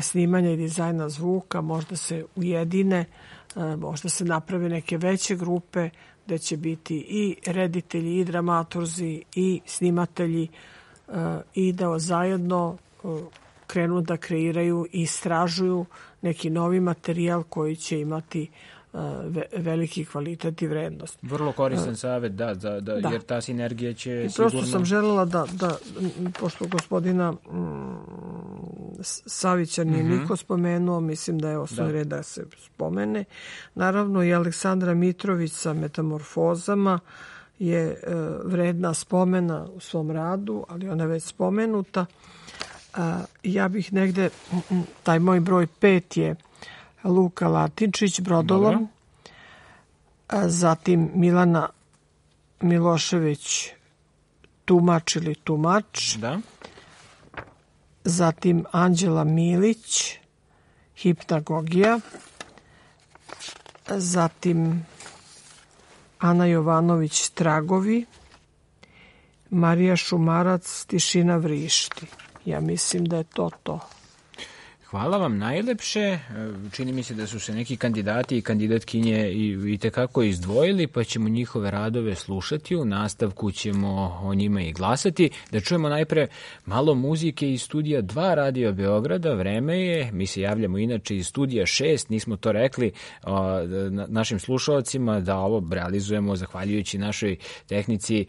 snimanja i dizajna zvuka možda se ujedine, možda se naprave neke veće grupe gde će biti i reditelji i dramaturzi i snimatelji i da zajedno krenu da kreiraju i istražuju neki novi materijal koji će imati veliki kvalitet i vrednost. Vrlo koristan savjet, da, jer ta sinergija će sigurno... Prosto sam želela da pošto gospodina Savića nije niko spomenuo, mislim da je osnovni red da se spomene. Naravno i Aleksandra Mitrović sa Metamorfozama je vredna spomena u svom radu, ali ona je već spomenuta. Ja bih negde, taj moj broj 5 je Luka Latinčić, Brodolom, zatim Milana Milošević, Tumač ili Tumač, zatim Anđela Milić, Hipnagogija, zatim Ana Jovanović, Tragovi, Marija Šumarac, Tišina vrišti. Ja mislim da je to. Hvala vam najlepše. Čini mi se da su se neki kandidati i kandidatkinje i tekako izdvojili, pa ćemo njihove radove slušati. U nastavku ćemo o njima i glasati. Da čujemo najpre malo muzike iz studija 2 Radio Beograda. Vreme je, mi se javljamo inače iz studija 6, nismo to rekli našim slušalcima da ovo realizujemo zahvaljujući našoj tehnici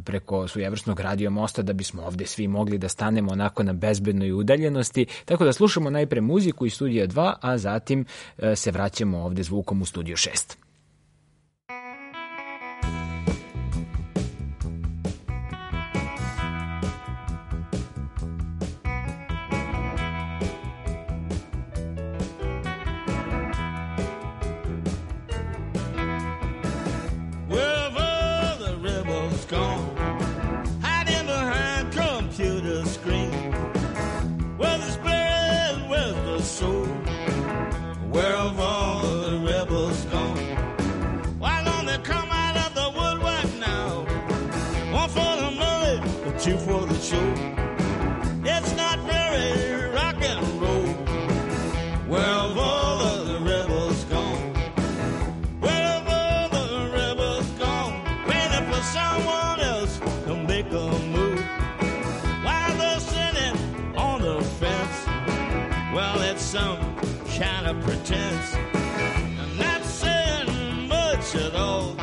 preko svojevrsnog radio mosta, da bismo ovde svi mogli da stanemo onako na bezbednoj udaljenosti. Tako da slušamo najpre muziku iz studija 2, a zatim se vraćamo ovde zvukom u studiju 6. For the show, it's not very rock and roll. Where have all of the rebels gone? Where have all the rebels. I'm not saying much at all.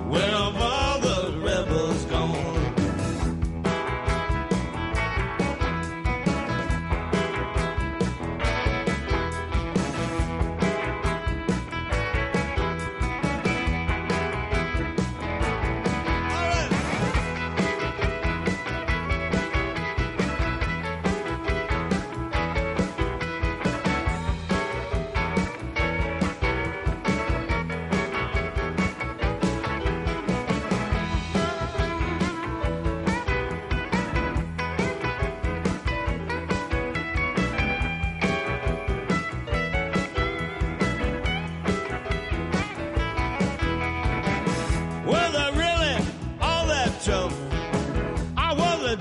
Where have all the rebels gone?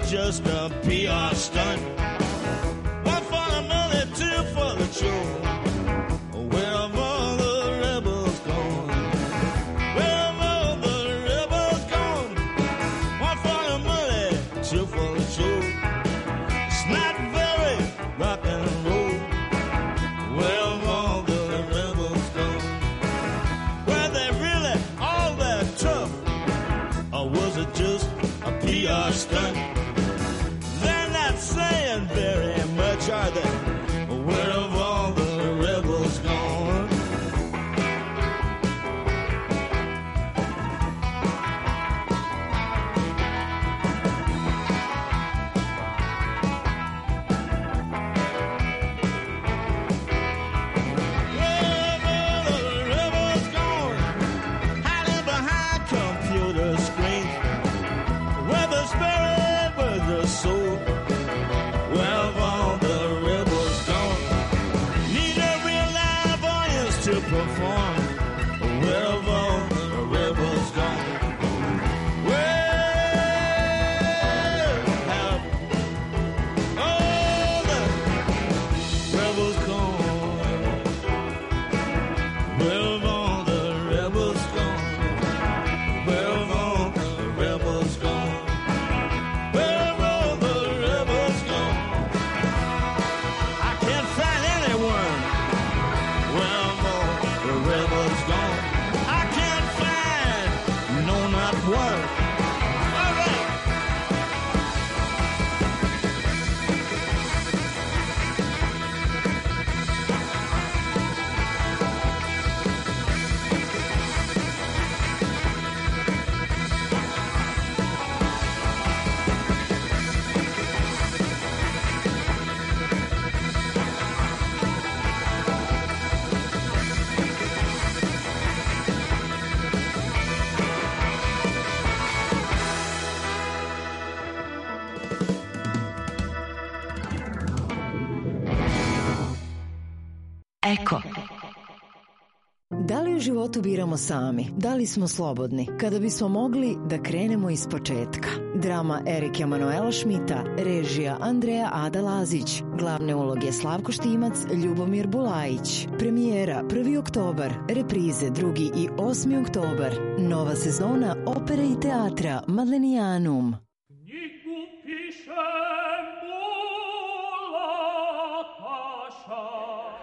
Just a PR stunt. One for the money, two for the show. Where have all the rebels gone? Where have all the rebels gone? One for the money, two for the show. It's not very rock and roll. Where have all the rebels gone? Were they really all that tough? Or was it just a PR stunt? Saying very much, are they? Where have all the rebels gone? Where have all the rebels gone? Hiding behind computer screens. Where the spirit was the soul. Where have all the rebels gone? Need a real live audience to perform. Where have all the rebels gone? Where have all the rebels gone? Where have all the rebels gone? Where have all the rebels gone? Where have all the rebels gone? I can't find anyone. Where have all the rebels gone? I can't find, no, not one. All right. Eko. Da li u životu biramo sami? Da li smo slobodni? Kada bismo mogli da krenemo iz početka. Drama Erika Emanuela Šmita, režija Andreja Ada Lazić, glavne uloge Slavko Štimac, Ljubomir Bulajić. Premijera 1. oktobar, reprize 2. i 8. oktobar. Nova sezona opere i teatra Madlenijanum.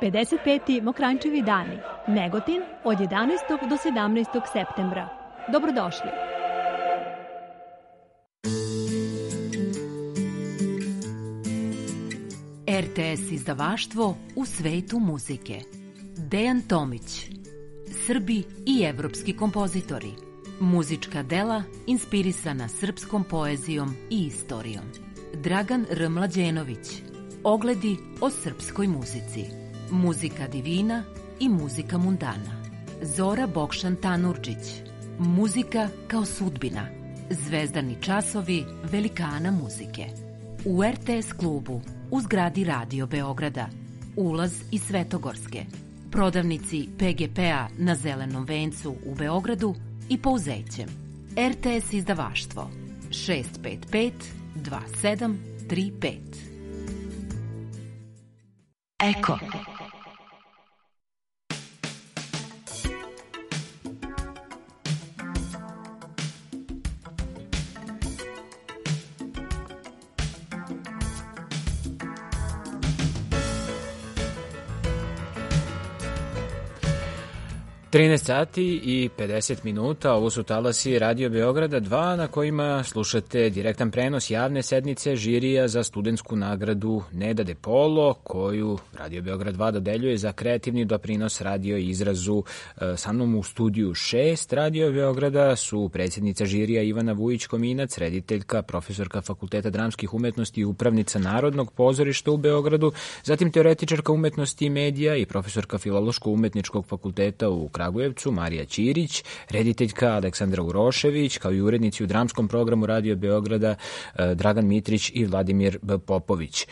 55. Mokrančevi dani. Negotin od 11. do 17. septembra. Dobrodošli. RTS izdavaštvo u svetu muzike. Dejan Tomić. Srbi i evropski kompozitori. Muzička dela inspirisana srpskom poezijom i istorijom. Dragan R. Mlađenović. Ogledi o srpskoj muzici. Muzika divina i muzika mundana. Zora Bokšan Tanurđić. Muzika kao sudbina. Zvezdani časovi velikana muzike. U RTS klubu u zgradi Radio Beograda. Ulaz iz Svetogorske. Prodavnici PGP-a na Zelenom vencu u Beogradu i Pouzećem. RTS izdavaštvo 655 2735. Eko. 13 sati i 50 minuta, ovo su talasi Radio Beograda 2 na kojima slušate direktan prenos javne sednice žirija za studentsku nagradu Neda De Polo, koju Radio Beograd 2 dodeljuje za kreativni doprinos radio i izrazu. Sa mnom u studiju 6 Radio Beograda su predsjednica žirija Ivana Vujić-Kominac, rediteljka, profesorka Fakulteta dramskih umetnosti i upravnica Narodnog pozorišta u Beogradu, zatim teoretičarka umetnosti i medija i profesorka Filološko-umetničkog fakulteta u Kragujevcu, Marija Ćirić, rediteljka Aleksandra Urošević, kao i urednici u dramskom programu Radio Beograda Dragan Mitrić i Vladimir Popović.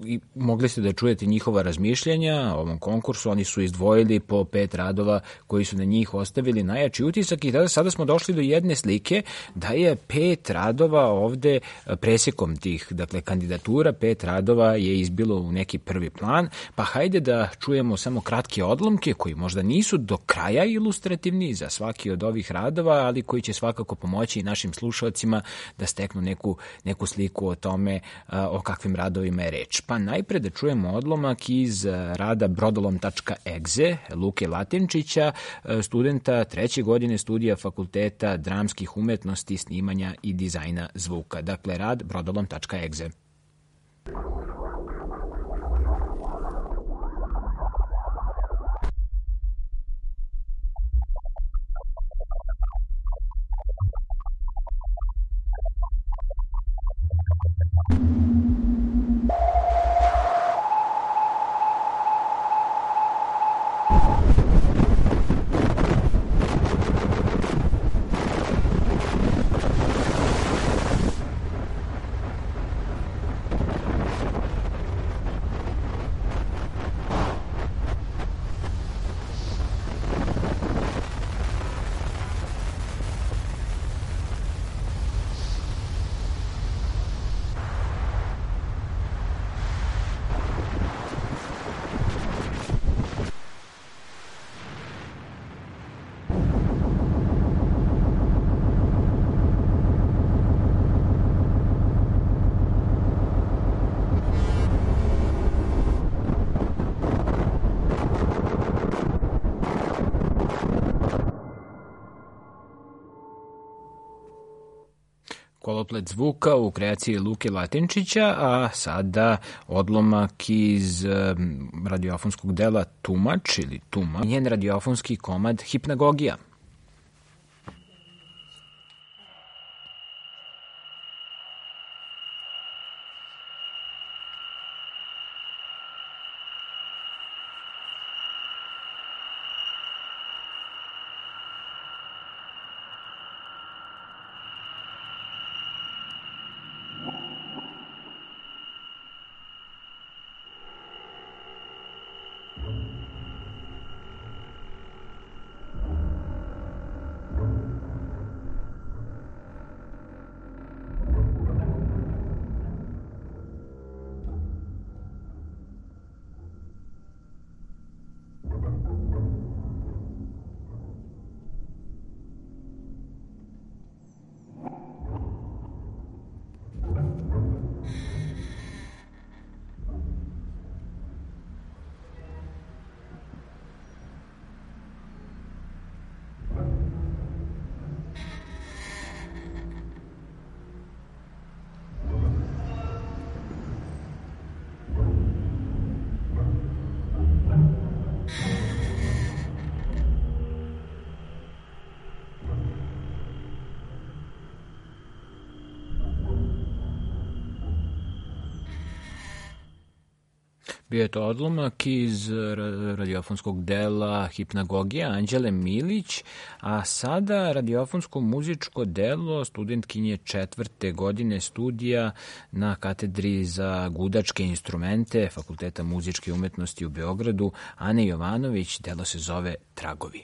I mogli ste da čujete njihova razmišljanja o ovom konkursu, oni su izdvojili po 5 radova koji su na njih ostavili najjači utisak i sada smo došli do jedne slike da je 5 radova ovde presekom tih, dakle, kandidatura, 5 radova je izbilo u neki prvi plan, pa hajde da čujemo samo kratke odlomke koji možda nisu do kraja ilustrativni za svaki od ovih radova, ali koji će svakako pomoći i našim slušalcima da steknu neku sliku o tome o kakvim radovima je reč. Pa najpre da čujemo odlomak iz rada brodolom.exe Luke Latinčića, studenta 3. godine studija Fakulteta dramskih umetnosti, snimanja i dizajna zvuka. Dakle, rad brodolom.exe. Koloplet zvuka u kreaciji Luke Latinčića, a sada odlomak iz radiofonskog dela Tumač ili Tuma, njen radiofonski komad Hipnagogija. Bio je to odlomak iz radiofonskog dela Hipnagogija Anđele Milić, a sada radiofonsko muzičko delo studentkinje 4. godine studija na katedri za gudačke instrumente Fakulteta muzičke umetnosti u Beogradu, Ane Jovanović. Delo se zove Tragovi.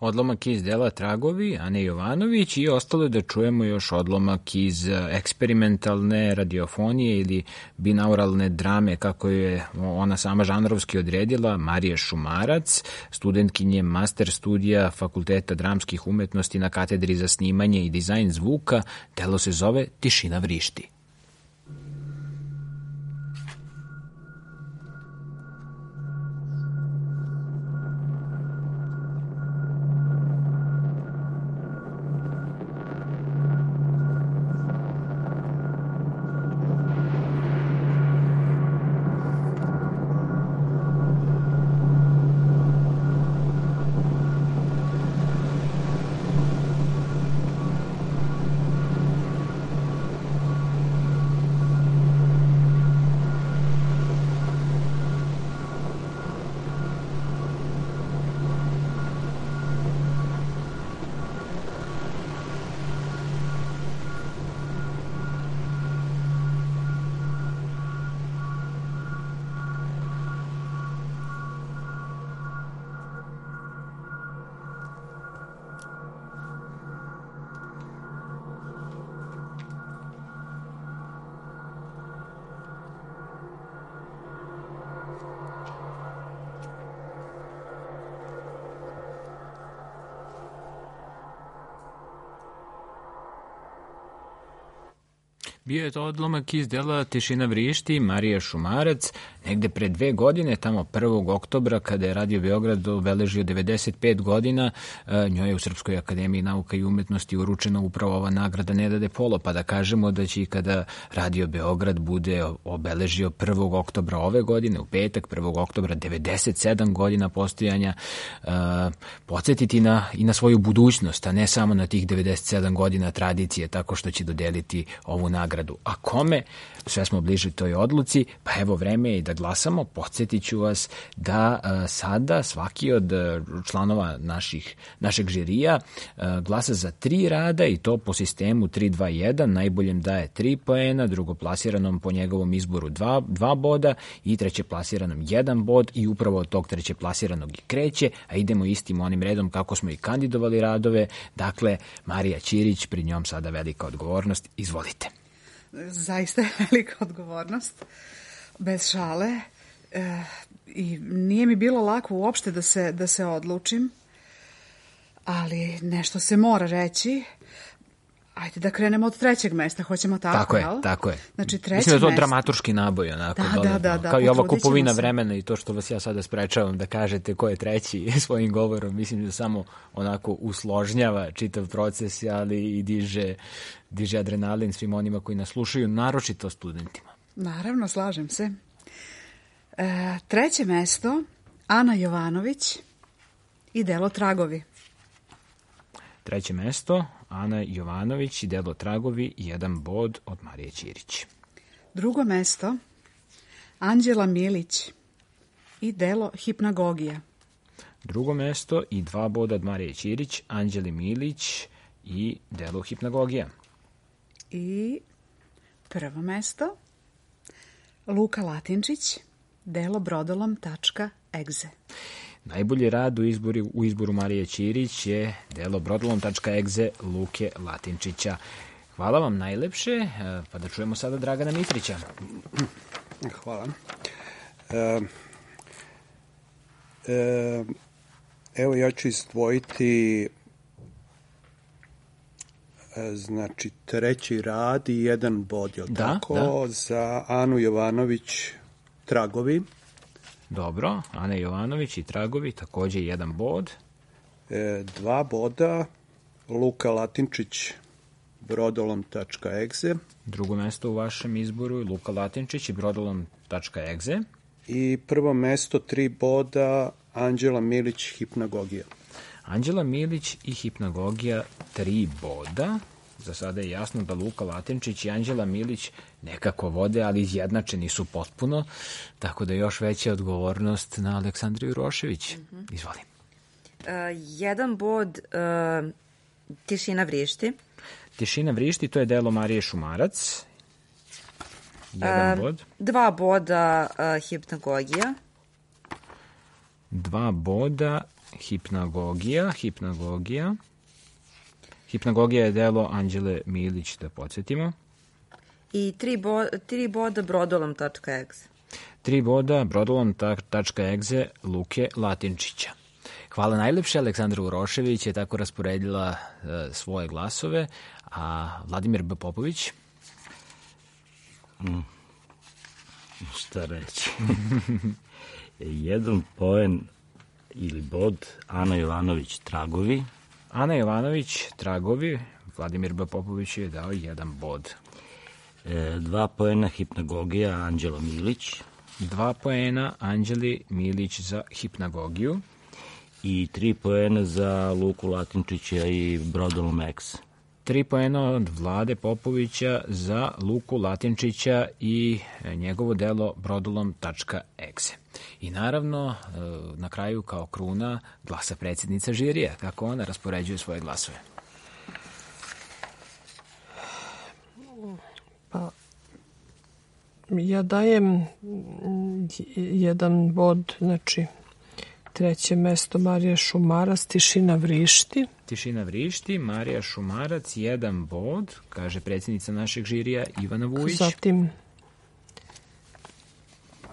odlomak iz dela Tragovi, Ane Jovanović, i ostalo je da čujemo još odlomak iz eksperimentalne radiofonije ili binauralne drame, kako je ona sama žanrovski odredila, Marije Šumarac, studentkinje master studija Fakulteta dramskih umetnosti na katedri za snimanje i dizajn zvuka. Delo se zove Tišina vrišti. Bio je to odlomak iz dela Tišina vrišti, Marija Šumarac, negde pre 2 godine, tamo 1. oktobra, kada je Radio Beograd obeležio 95 godina, njoj je u Srpskoj akademiji nauka i umetnosti uručena upravo ova nagrada Neda de Polo, pa da kažemo da će i kada Radio Beograd bude obeležio 1. oktobra ove godine, u petak 1. oktobra, 97 godina postojanja, podsjetiti i na svoju budućnost, a ne samo na tih 97 godina tradicije, tako što će dodeliti ovu nagradu. A kome? Sve smo bliži toj odluci, pa evo vreme je i da glasamo. Podsjetit ću vas da sada svaki od članova našeg žirija glasa za 3 rada i to po sistemu 3-2-1, najboljem daje 3 poena, drugoplasiranom po njegovom izboru 2 boda i trećeplasiranom 1 bod i upravo od tog trećeplasiranog i kreće, a idemo istim onim redom kako smo i kandidovali radove. Dakle, Marija Ćirić, pred njom sada velika odgovornost. Izvolite. Zaista je velika odgovornost, bez šale, i nije mi bilo lako uopšte da se odlučim, ali nešto se mora reći. Ajde da krenemo od 3. mesta, hoćemo tako, Tako je. Znači, 3. Mislim da je to dramatuški naboj, onako. Da. Kao i ova kupovina vremena i to što vas ja sada sprečavam da kažete ko je 3. svojim govorom, mislim da samo onako usložnjava čitav proces, ali i diže adrenalin svim onima koji nas slušaju, naročito studentima. Naravno, slažem se. 3. mesto, Ana Jovanović i delo Tragovi. 3. mesto, Ana Jovanović i delo Tragovi, 1 bod od Marije Ćirić. 2. mesto, Anđela Milić i delo Hipnagogija. 2. mesto i 2 boda od Marije Ćirić, Anđeli Milić i delo Hipnagogija. I 1. mesto, Luka Latinčić, delo brodolom.exe. Najbolji rad u izboru Marije Ćirić je delo brodolom.exe Luke Latinčića. Hvala vam najlepše, pa da čujemo sada Dragana Mitrića. Hvala. Evo ja ću izdvojiti znači 3. rad i 1 bod, je li tako? Za Anu Jovanović Tragovi. Dobro, Ana Jovanović i Tragovi, takođe 1 bod. 2 boda, Luka Latinčić, brodolom.exe. 2. mesto u vašem izboru je Luka Latinčić i brodolom.exe. I 1. mesto, 3 boda, Anđela Milić, Hipnagogija. Anđela Milić i Hipnagogija, 3 boda. Za sada je jasno da Luka Latinčić i Anđela Milić nekako vode, ali izjednačeni su potpuno, tako da još veća odgovornost na Aleksandru Jurošević. Izvoli. 1 bod, Tišina vrišti. Tišina vrišti, to je delo Marije Šumarac. 1 bod. 2 boda, Hipnagogija. 2 boda, Hipnagogija. Hipnagogija je delo Anđele Milić, da podsjetimo. I 3 boda brodolom.exe. 3 boda brodolom.exe Luke Latinčića. Hvala najlepše. Aleksandra Urošević je tako rasporedila svoje glasove, a Vladimir B. Popović? Šta reći? Jedan poen ili bod, Ana Jovanović Tragovi. Ana Jovanović Tragovi, Vladimir B. Popović je dao 1 bod. 2 poena Hipnagogija, Anđelo Milić. 2 poena Anđeli Milić za Hipnagogiju. I 3 poena za Luku Latinčića i Brodolom X. 3 poena od Vlade Popovića za Luku Latinčića i njegovo delo brodolom.exe. I naravno, na kraju kao kruna glasa predsjednica žirija. Kako ona raspoređuje svoje glasove? Pa, ja dajem 1 bod, znači 3. mesto Marija Šumarac, Tišina vrišti. Tišina vrišti, Marija Šumarac, 1 bod, kaže predsjednica našeg žirija Ivana Vujić. Zatim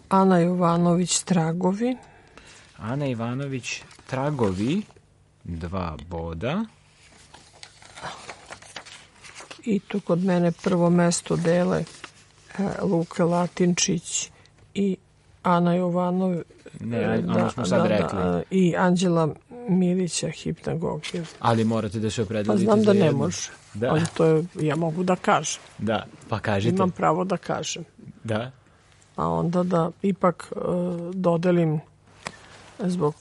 Ana Jovanović Tragovi. Ana Ivanović Tragovi, 2 boda. I tu kod mene prvo mesto dele Luka Latinčić i Ana Jovanović. Ne, ono smo sad rekli. I Anđela Milića Hipnagogija. Ali morate da se opredelite pa znam za da jedno. ne može, da. Ali to je, ja mogu da kažem. Da, pa kažite. Imam pravo da kažem. Da. A onda da ipak dodelim zbog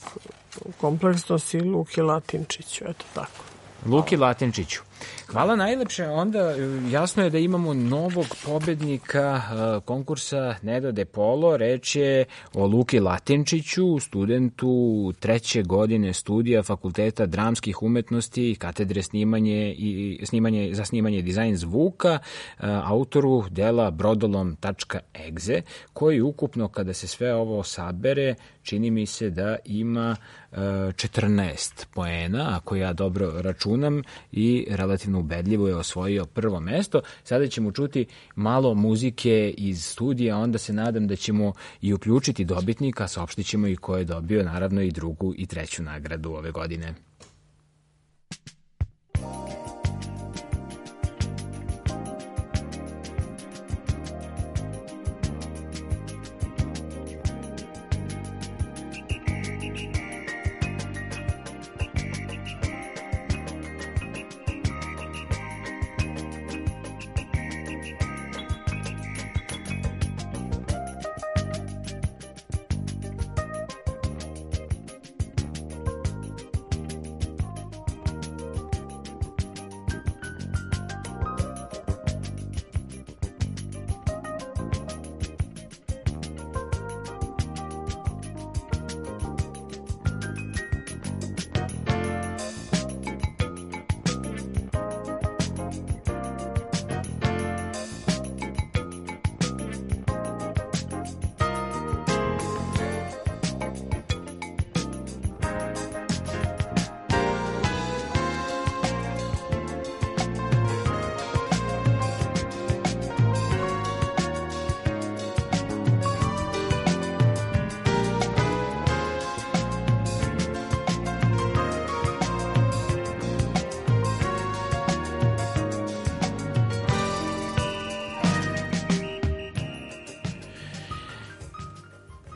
kompleksnosti Luki Latinčiću, eto tako. Luki Latinčiću. Hvala najlepše. Onda jasno je da imamo novog pobednika konkursa Neda de Polo. Reč je o Luki Latinčiću, studentu 3. godine studija Fakulteta dramskih umetnosti, katedre za snimanje dizajn zvuka, autoru dela brodolom.exe, koji ukupno, kada se sve ovo sabere, čini mi se da ima 14 poena, ako ja dobro računam, i relativno ubedljivo je osvojio prvo mesto. Sada ćemo čuti malo muzike iz studija, onda se nadam da ćemo i uključiti dobitnika, saopštit ćemo i ko je dobio, naravno, i 2. i 3. nagradu ove godine.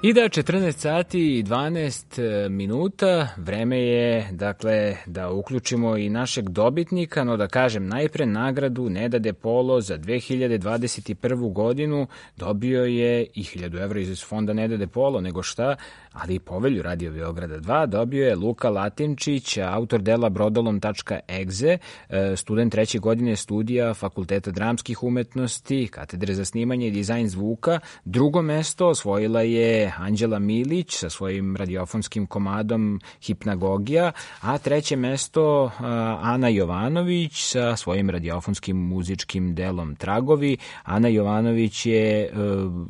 I da, 14 sati i 12 minuta, vreme je, dakle, da uključimo i našeg dobitnika, no da kažem najpre nagradu Neda de Polo za 2021. godinu dobio je i 1000 evra iz fonda Neda de Polo, nego šta, ali i povelju Radio Beograda 2 dobio je Luka Latinčić, autor dela brodolom.exe, student 3. godine studija Fakulteta dramskih umetnosti, katedre za snimanje i dizajn zvuka. Drugo mesto osvojila je Anđela Milić sa svojim radiofonskim komadom Hipnagogija, a treće mesto Ana Jovanović sa svojim radiofonskim muzičkim delom Tragovi. Ana Jovanović je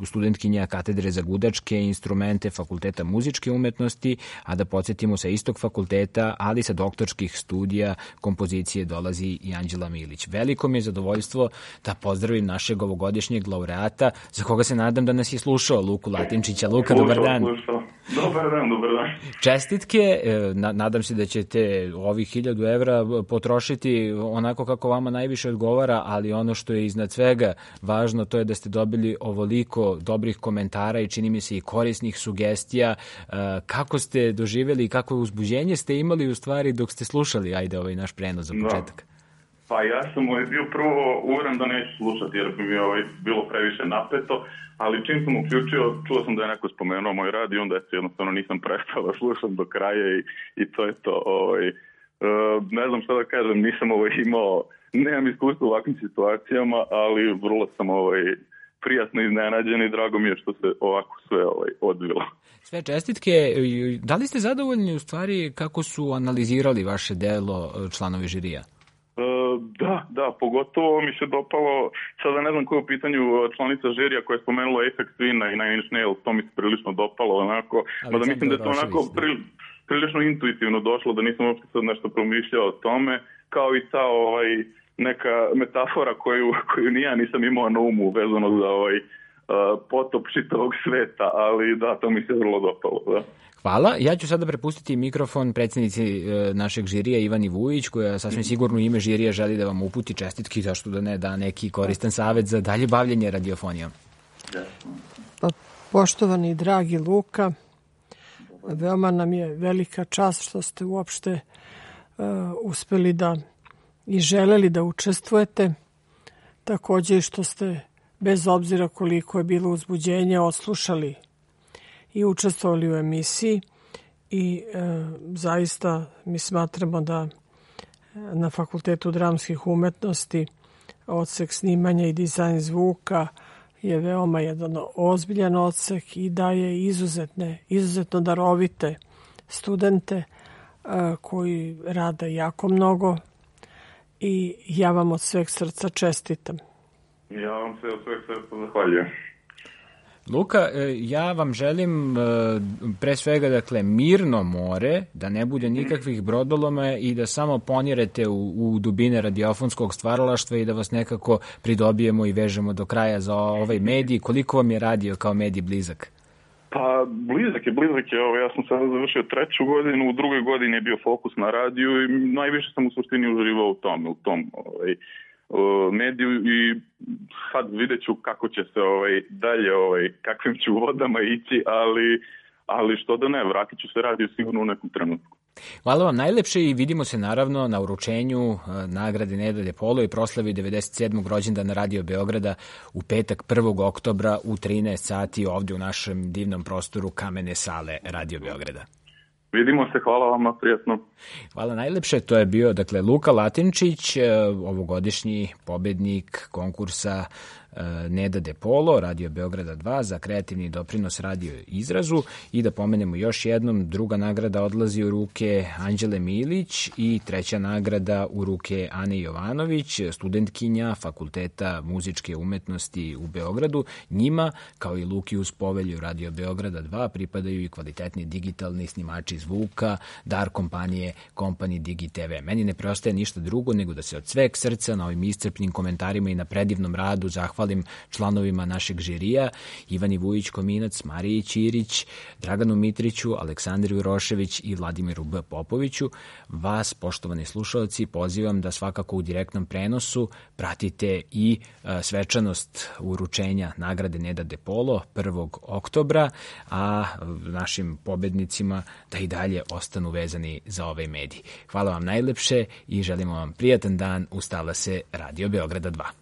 studentkinja katedre za gudačke instrumente Fakulteta muzičke umetnosti, a da podsjetimo sa istog fakulteta, ali sa doktorskih studija kompozicije dolazi i Anđela Milić. Veliko mi je zadovoljstvo da pozdravim našeg ovogodišnjeg laureata, za koga se nadam da nas je slušao, Luku Latinčića. Luka, dobar dan. Dobar dan. Čestitke, nadam se da ćete ovih 1000 evra potrošiti onako kako vama najviše odgovara, ali ono što je iznad svega važno, to je da ste dobili ovoliko dobrih komentara i čini mi se i korisnih sugestija. Kako ste doživjeli i kako uzbuđenje ste imali u stvari dok ste slušali, ajde, ovaj naš prenos za početak? Pa ja sam bio prvo uveren da neću slušati jer bi mi bilo previše napeto, ali čim sam uključio, čuo sam da je neko spomenuo moj rad i onda jednostavno nisam prestao da slušam do kraja i to je to. Ne znam šta da kažem, nisam nemam iskustva u ovakvim situacijama, ali vrlo sam prijatno iznenađen i drago mi je što se ovako sve odvilo. Sve čestitke. Da li ste zadovoljni u stvari kako su analizirali vaše delo članovi žirija? Da, pogotovo mi se dopalo, sada ne znam ko je u pitanju članica žirija koja je spomenula Aphex Twina i Nine Inch Nails, to mi se prilično dopalo onako, mada mislim da je to onako prilično intuitivno došlo, da nisam uopšte sad nešto promišljao o tome, kao i ta neka metafora koju ni ja nisam imao na umu vezano za potop čitavog sveta, ali da, to mi se vrlo dopalo, da. Hvala. Ja ću sada prepustiti mikrofon predsjednici našeg žirija Ivani Vujić, koja sasvim sigurno u ime žirija želi da vam uputi čestitki, zašto da ne da neki koristan savjet za dalje bavljenje radiofonijom. Poštovani i dragi Luka, veoma nam je velika čast što ste uopšte uspeli da i želeli da učestvujete, također i što ste bez obzira koliko je bilo uzbuđenje odslušali i učestvovali u emisiji i zaista mi smatramo da na Fakultetu dramskih umetnosti odsek snimanja i dizajn zvuka je veoma jedan ozbiljan odsek i daje izuzetno darovite studente koji rade jako mnogo i ja vam od sveg srca čestitam. Ja vam se od sveg srca zahvaljujem. Luka, ja vam želim pre svega, dakle, mirno more, da ne bude nikakvih brodoloma i da samo ponirete u dubine radiofonskog stvaralaštva i da vas nekako pridobijemo i vežemo do kraja za ovaj medij. Koliko vam je radio kao medij blizak? Pa blizak je. Ja sam sada završio 3. godinu, u 2. godini je bio fokus na radiju i najviše sam u suštini uživao u tom mediju i sad vidjet ću kako će se dalje, kakvim ću vodama ići, ali što da ne, vratit ću se radiju sigurno u nekom trenutku. Hvala vam najlepše i vidimo se naravno na uručenju nagrade Neda de Polo i proslavi 97. rođendana Radio Beograda u petak 1. oktobra u 13 sati ovdje u našem divnom prostoru Kamene sale Radio Beograda. Vidimo se, hvala vam, prijatno. Hvala najlepše, to je bio Luka Latinčić, ovogodišnji pobednik konkursa Neda de Polo, Radio Beograda 2 za kreativni doprinos radio izrazu. I da pomenemo još jednom, druga nagrada odlazi u ruke Anđele Milić i treća nagrada u ruke Ane Jovanović, studentkinja Fakulteta muzičke umetnosti u Beogradu. Njima, kao i Luki uz povelju Radio Beograda 2, pripadaju i kvalitetni digitalni snimači zvuka, dar kompanije Company Digi TV. Meni ne preostaje ništa drugo nego da se od sveg srca na ovim iscrpnim komentarima i na predivnom radu zahvalim članovima našeg žirija, Ivani Vujić-Kominac, Mariji Ćirić, Draganu Mitriću, Aleksandru Urošević i Vladimiru B. Popoviću. Vas, poštovani slušalci, pozivam da svakako u direktnom prenosu pratite i svečanost uručenja nagrade Neda de Polo 1. oktobra, a našim pobednicima da i dalje ostanu vezani za ovaj medij. Hvala vam najlepše i želimo vam prijatan dan. Ustala se Radio Beograda 2.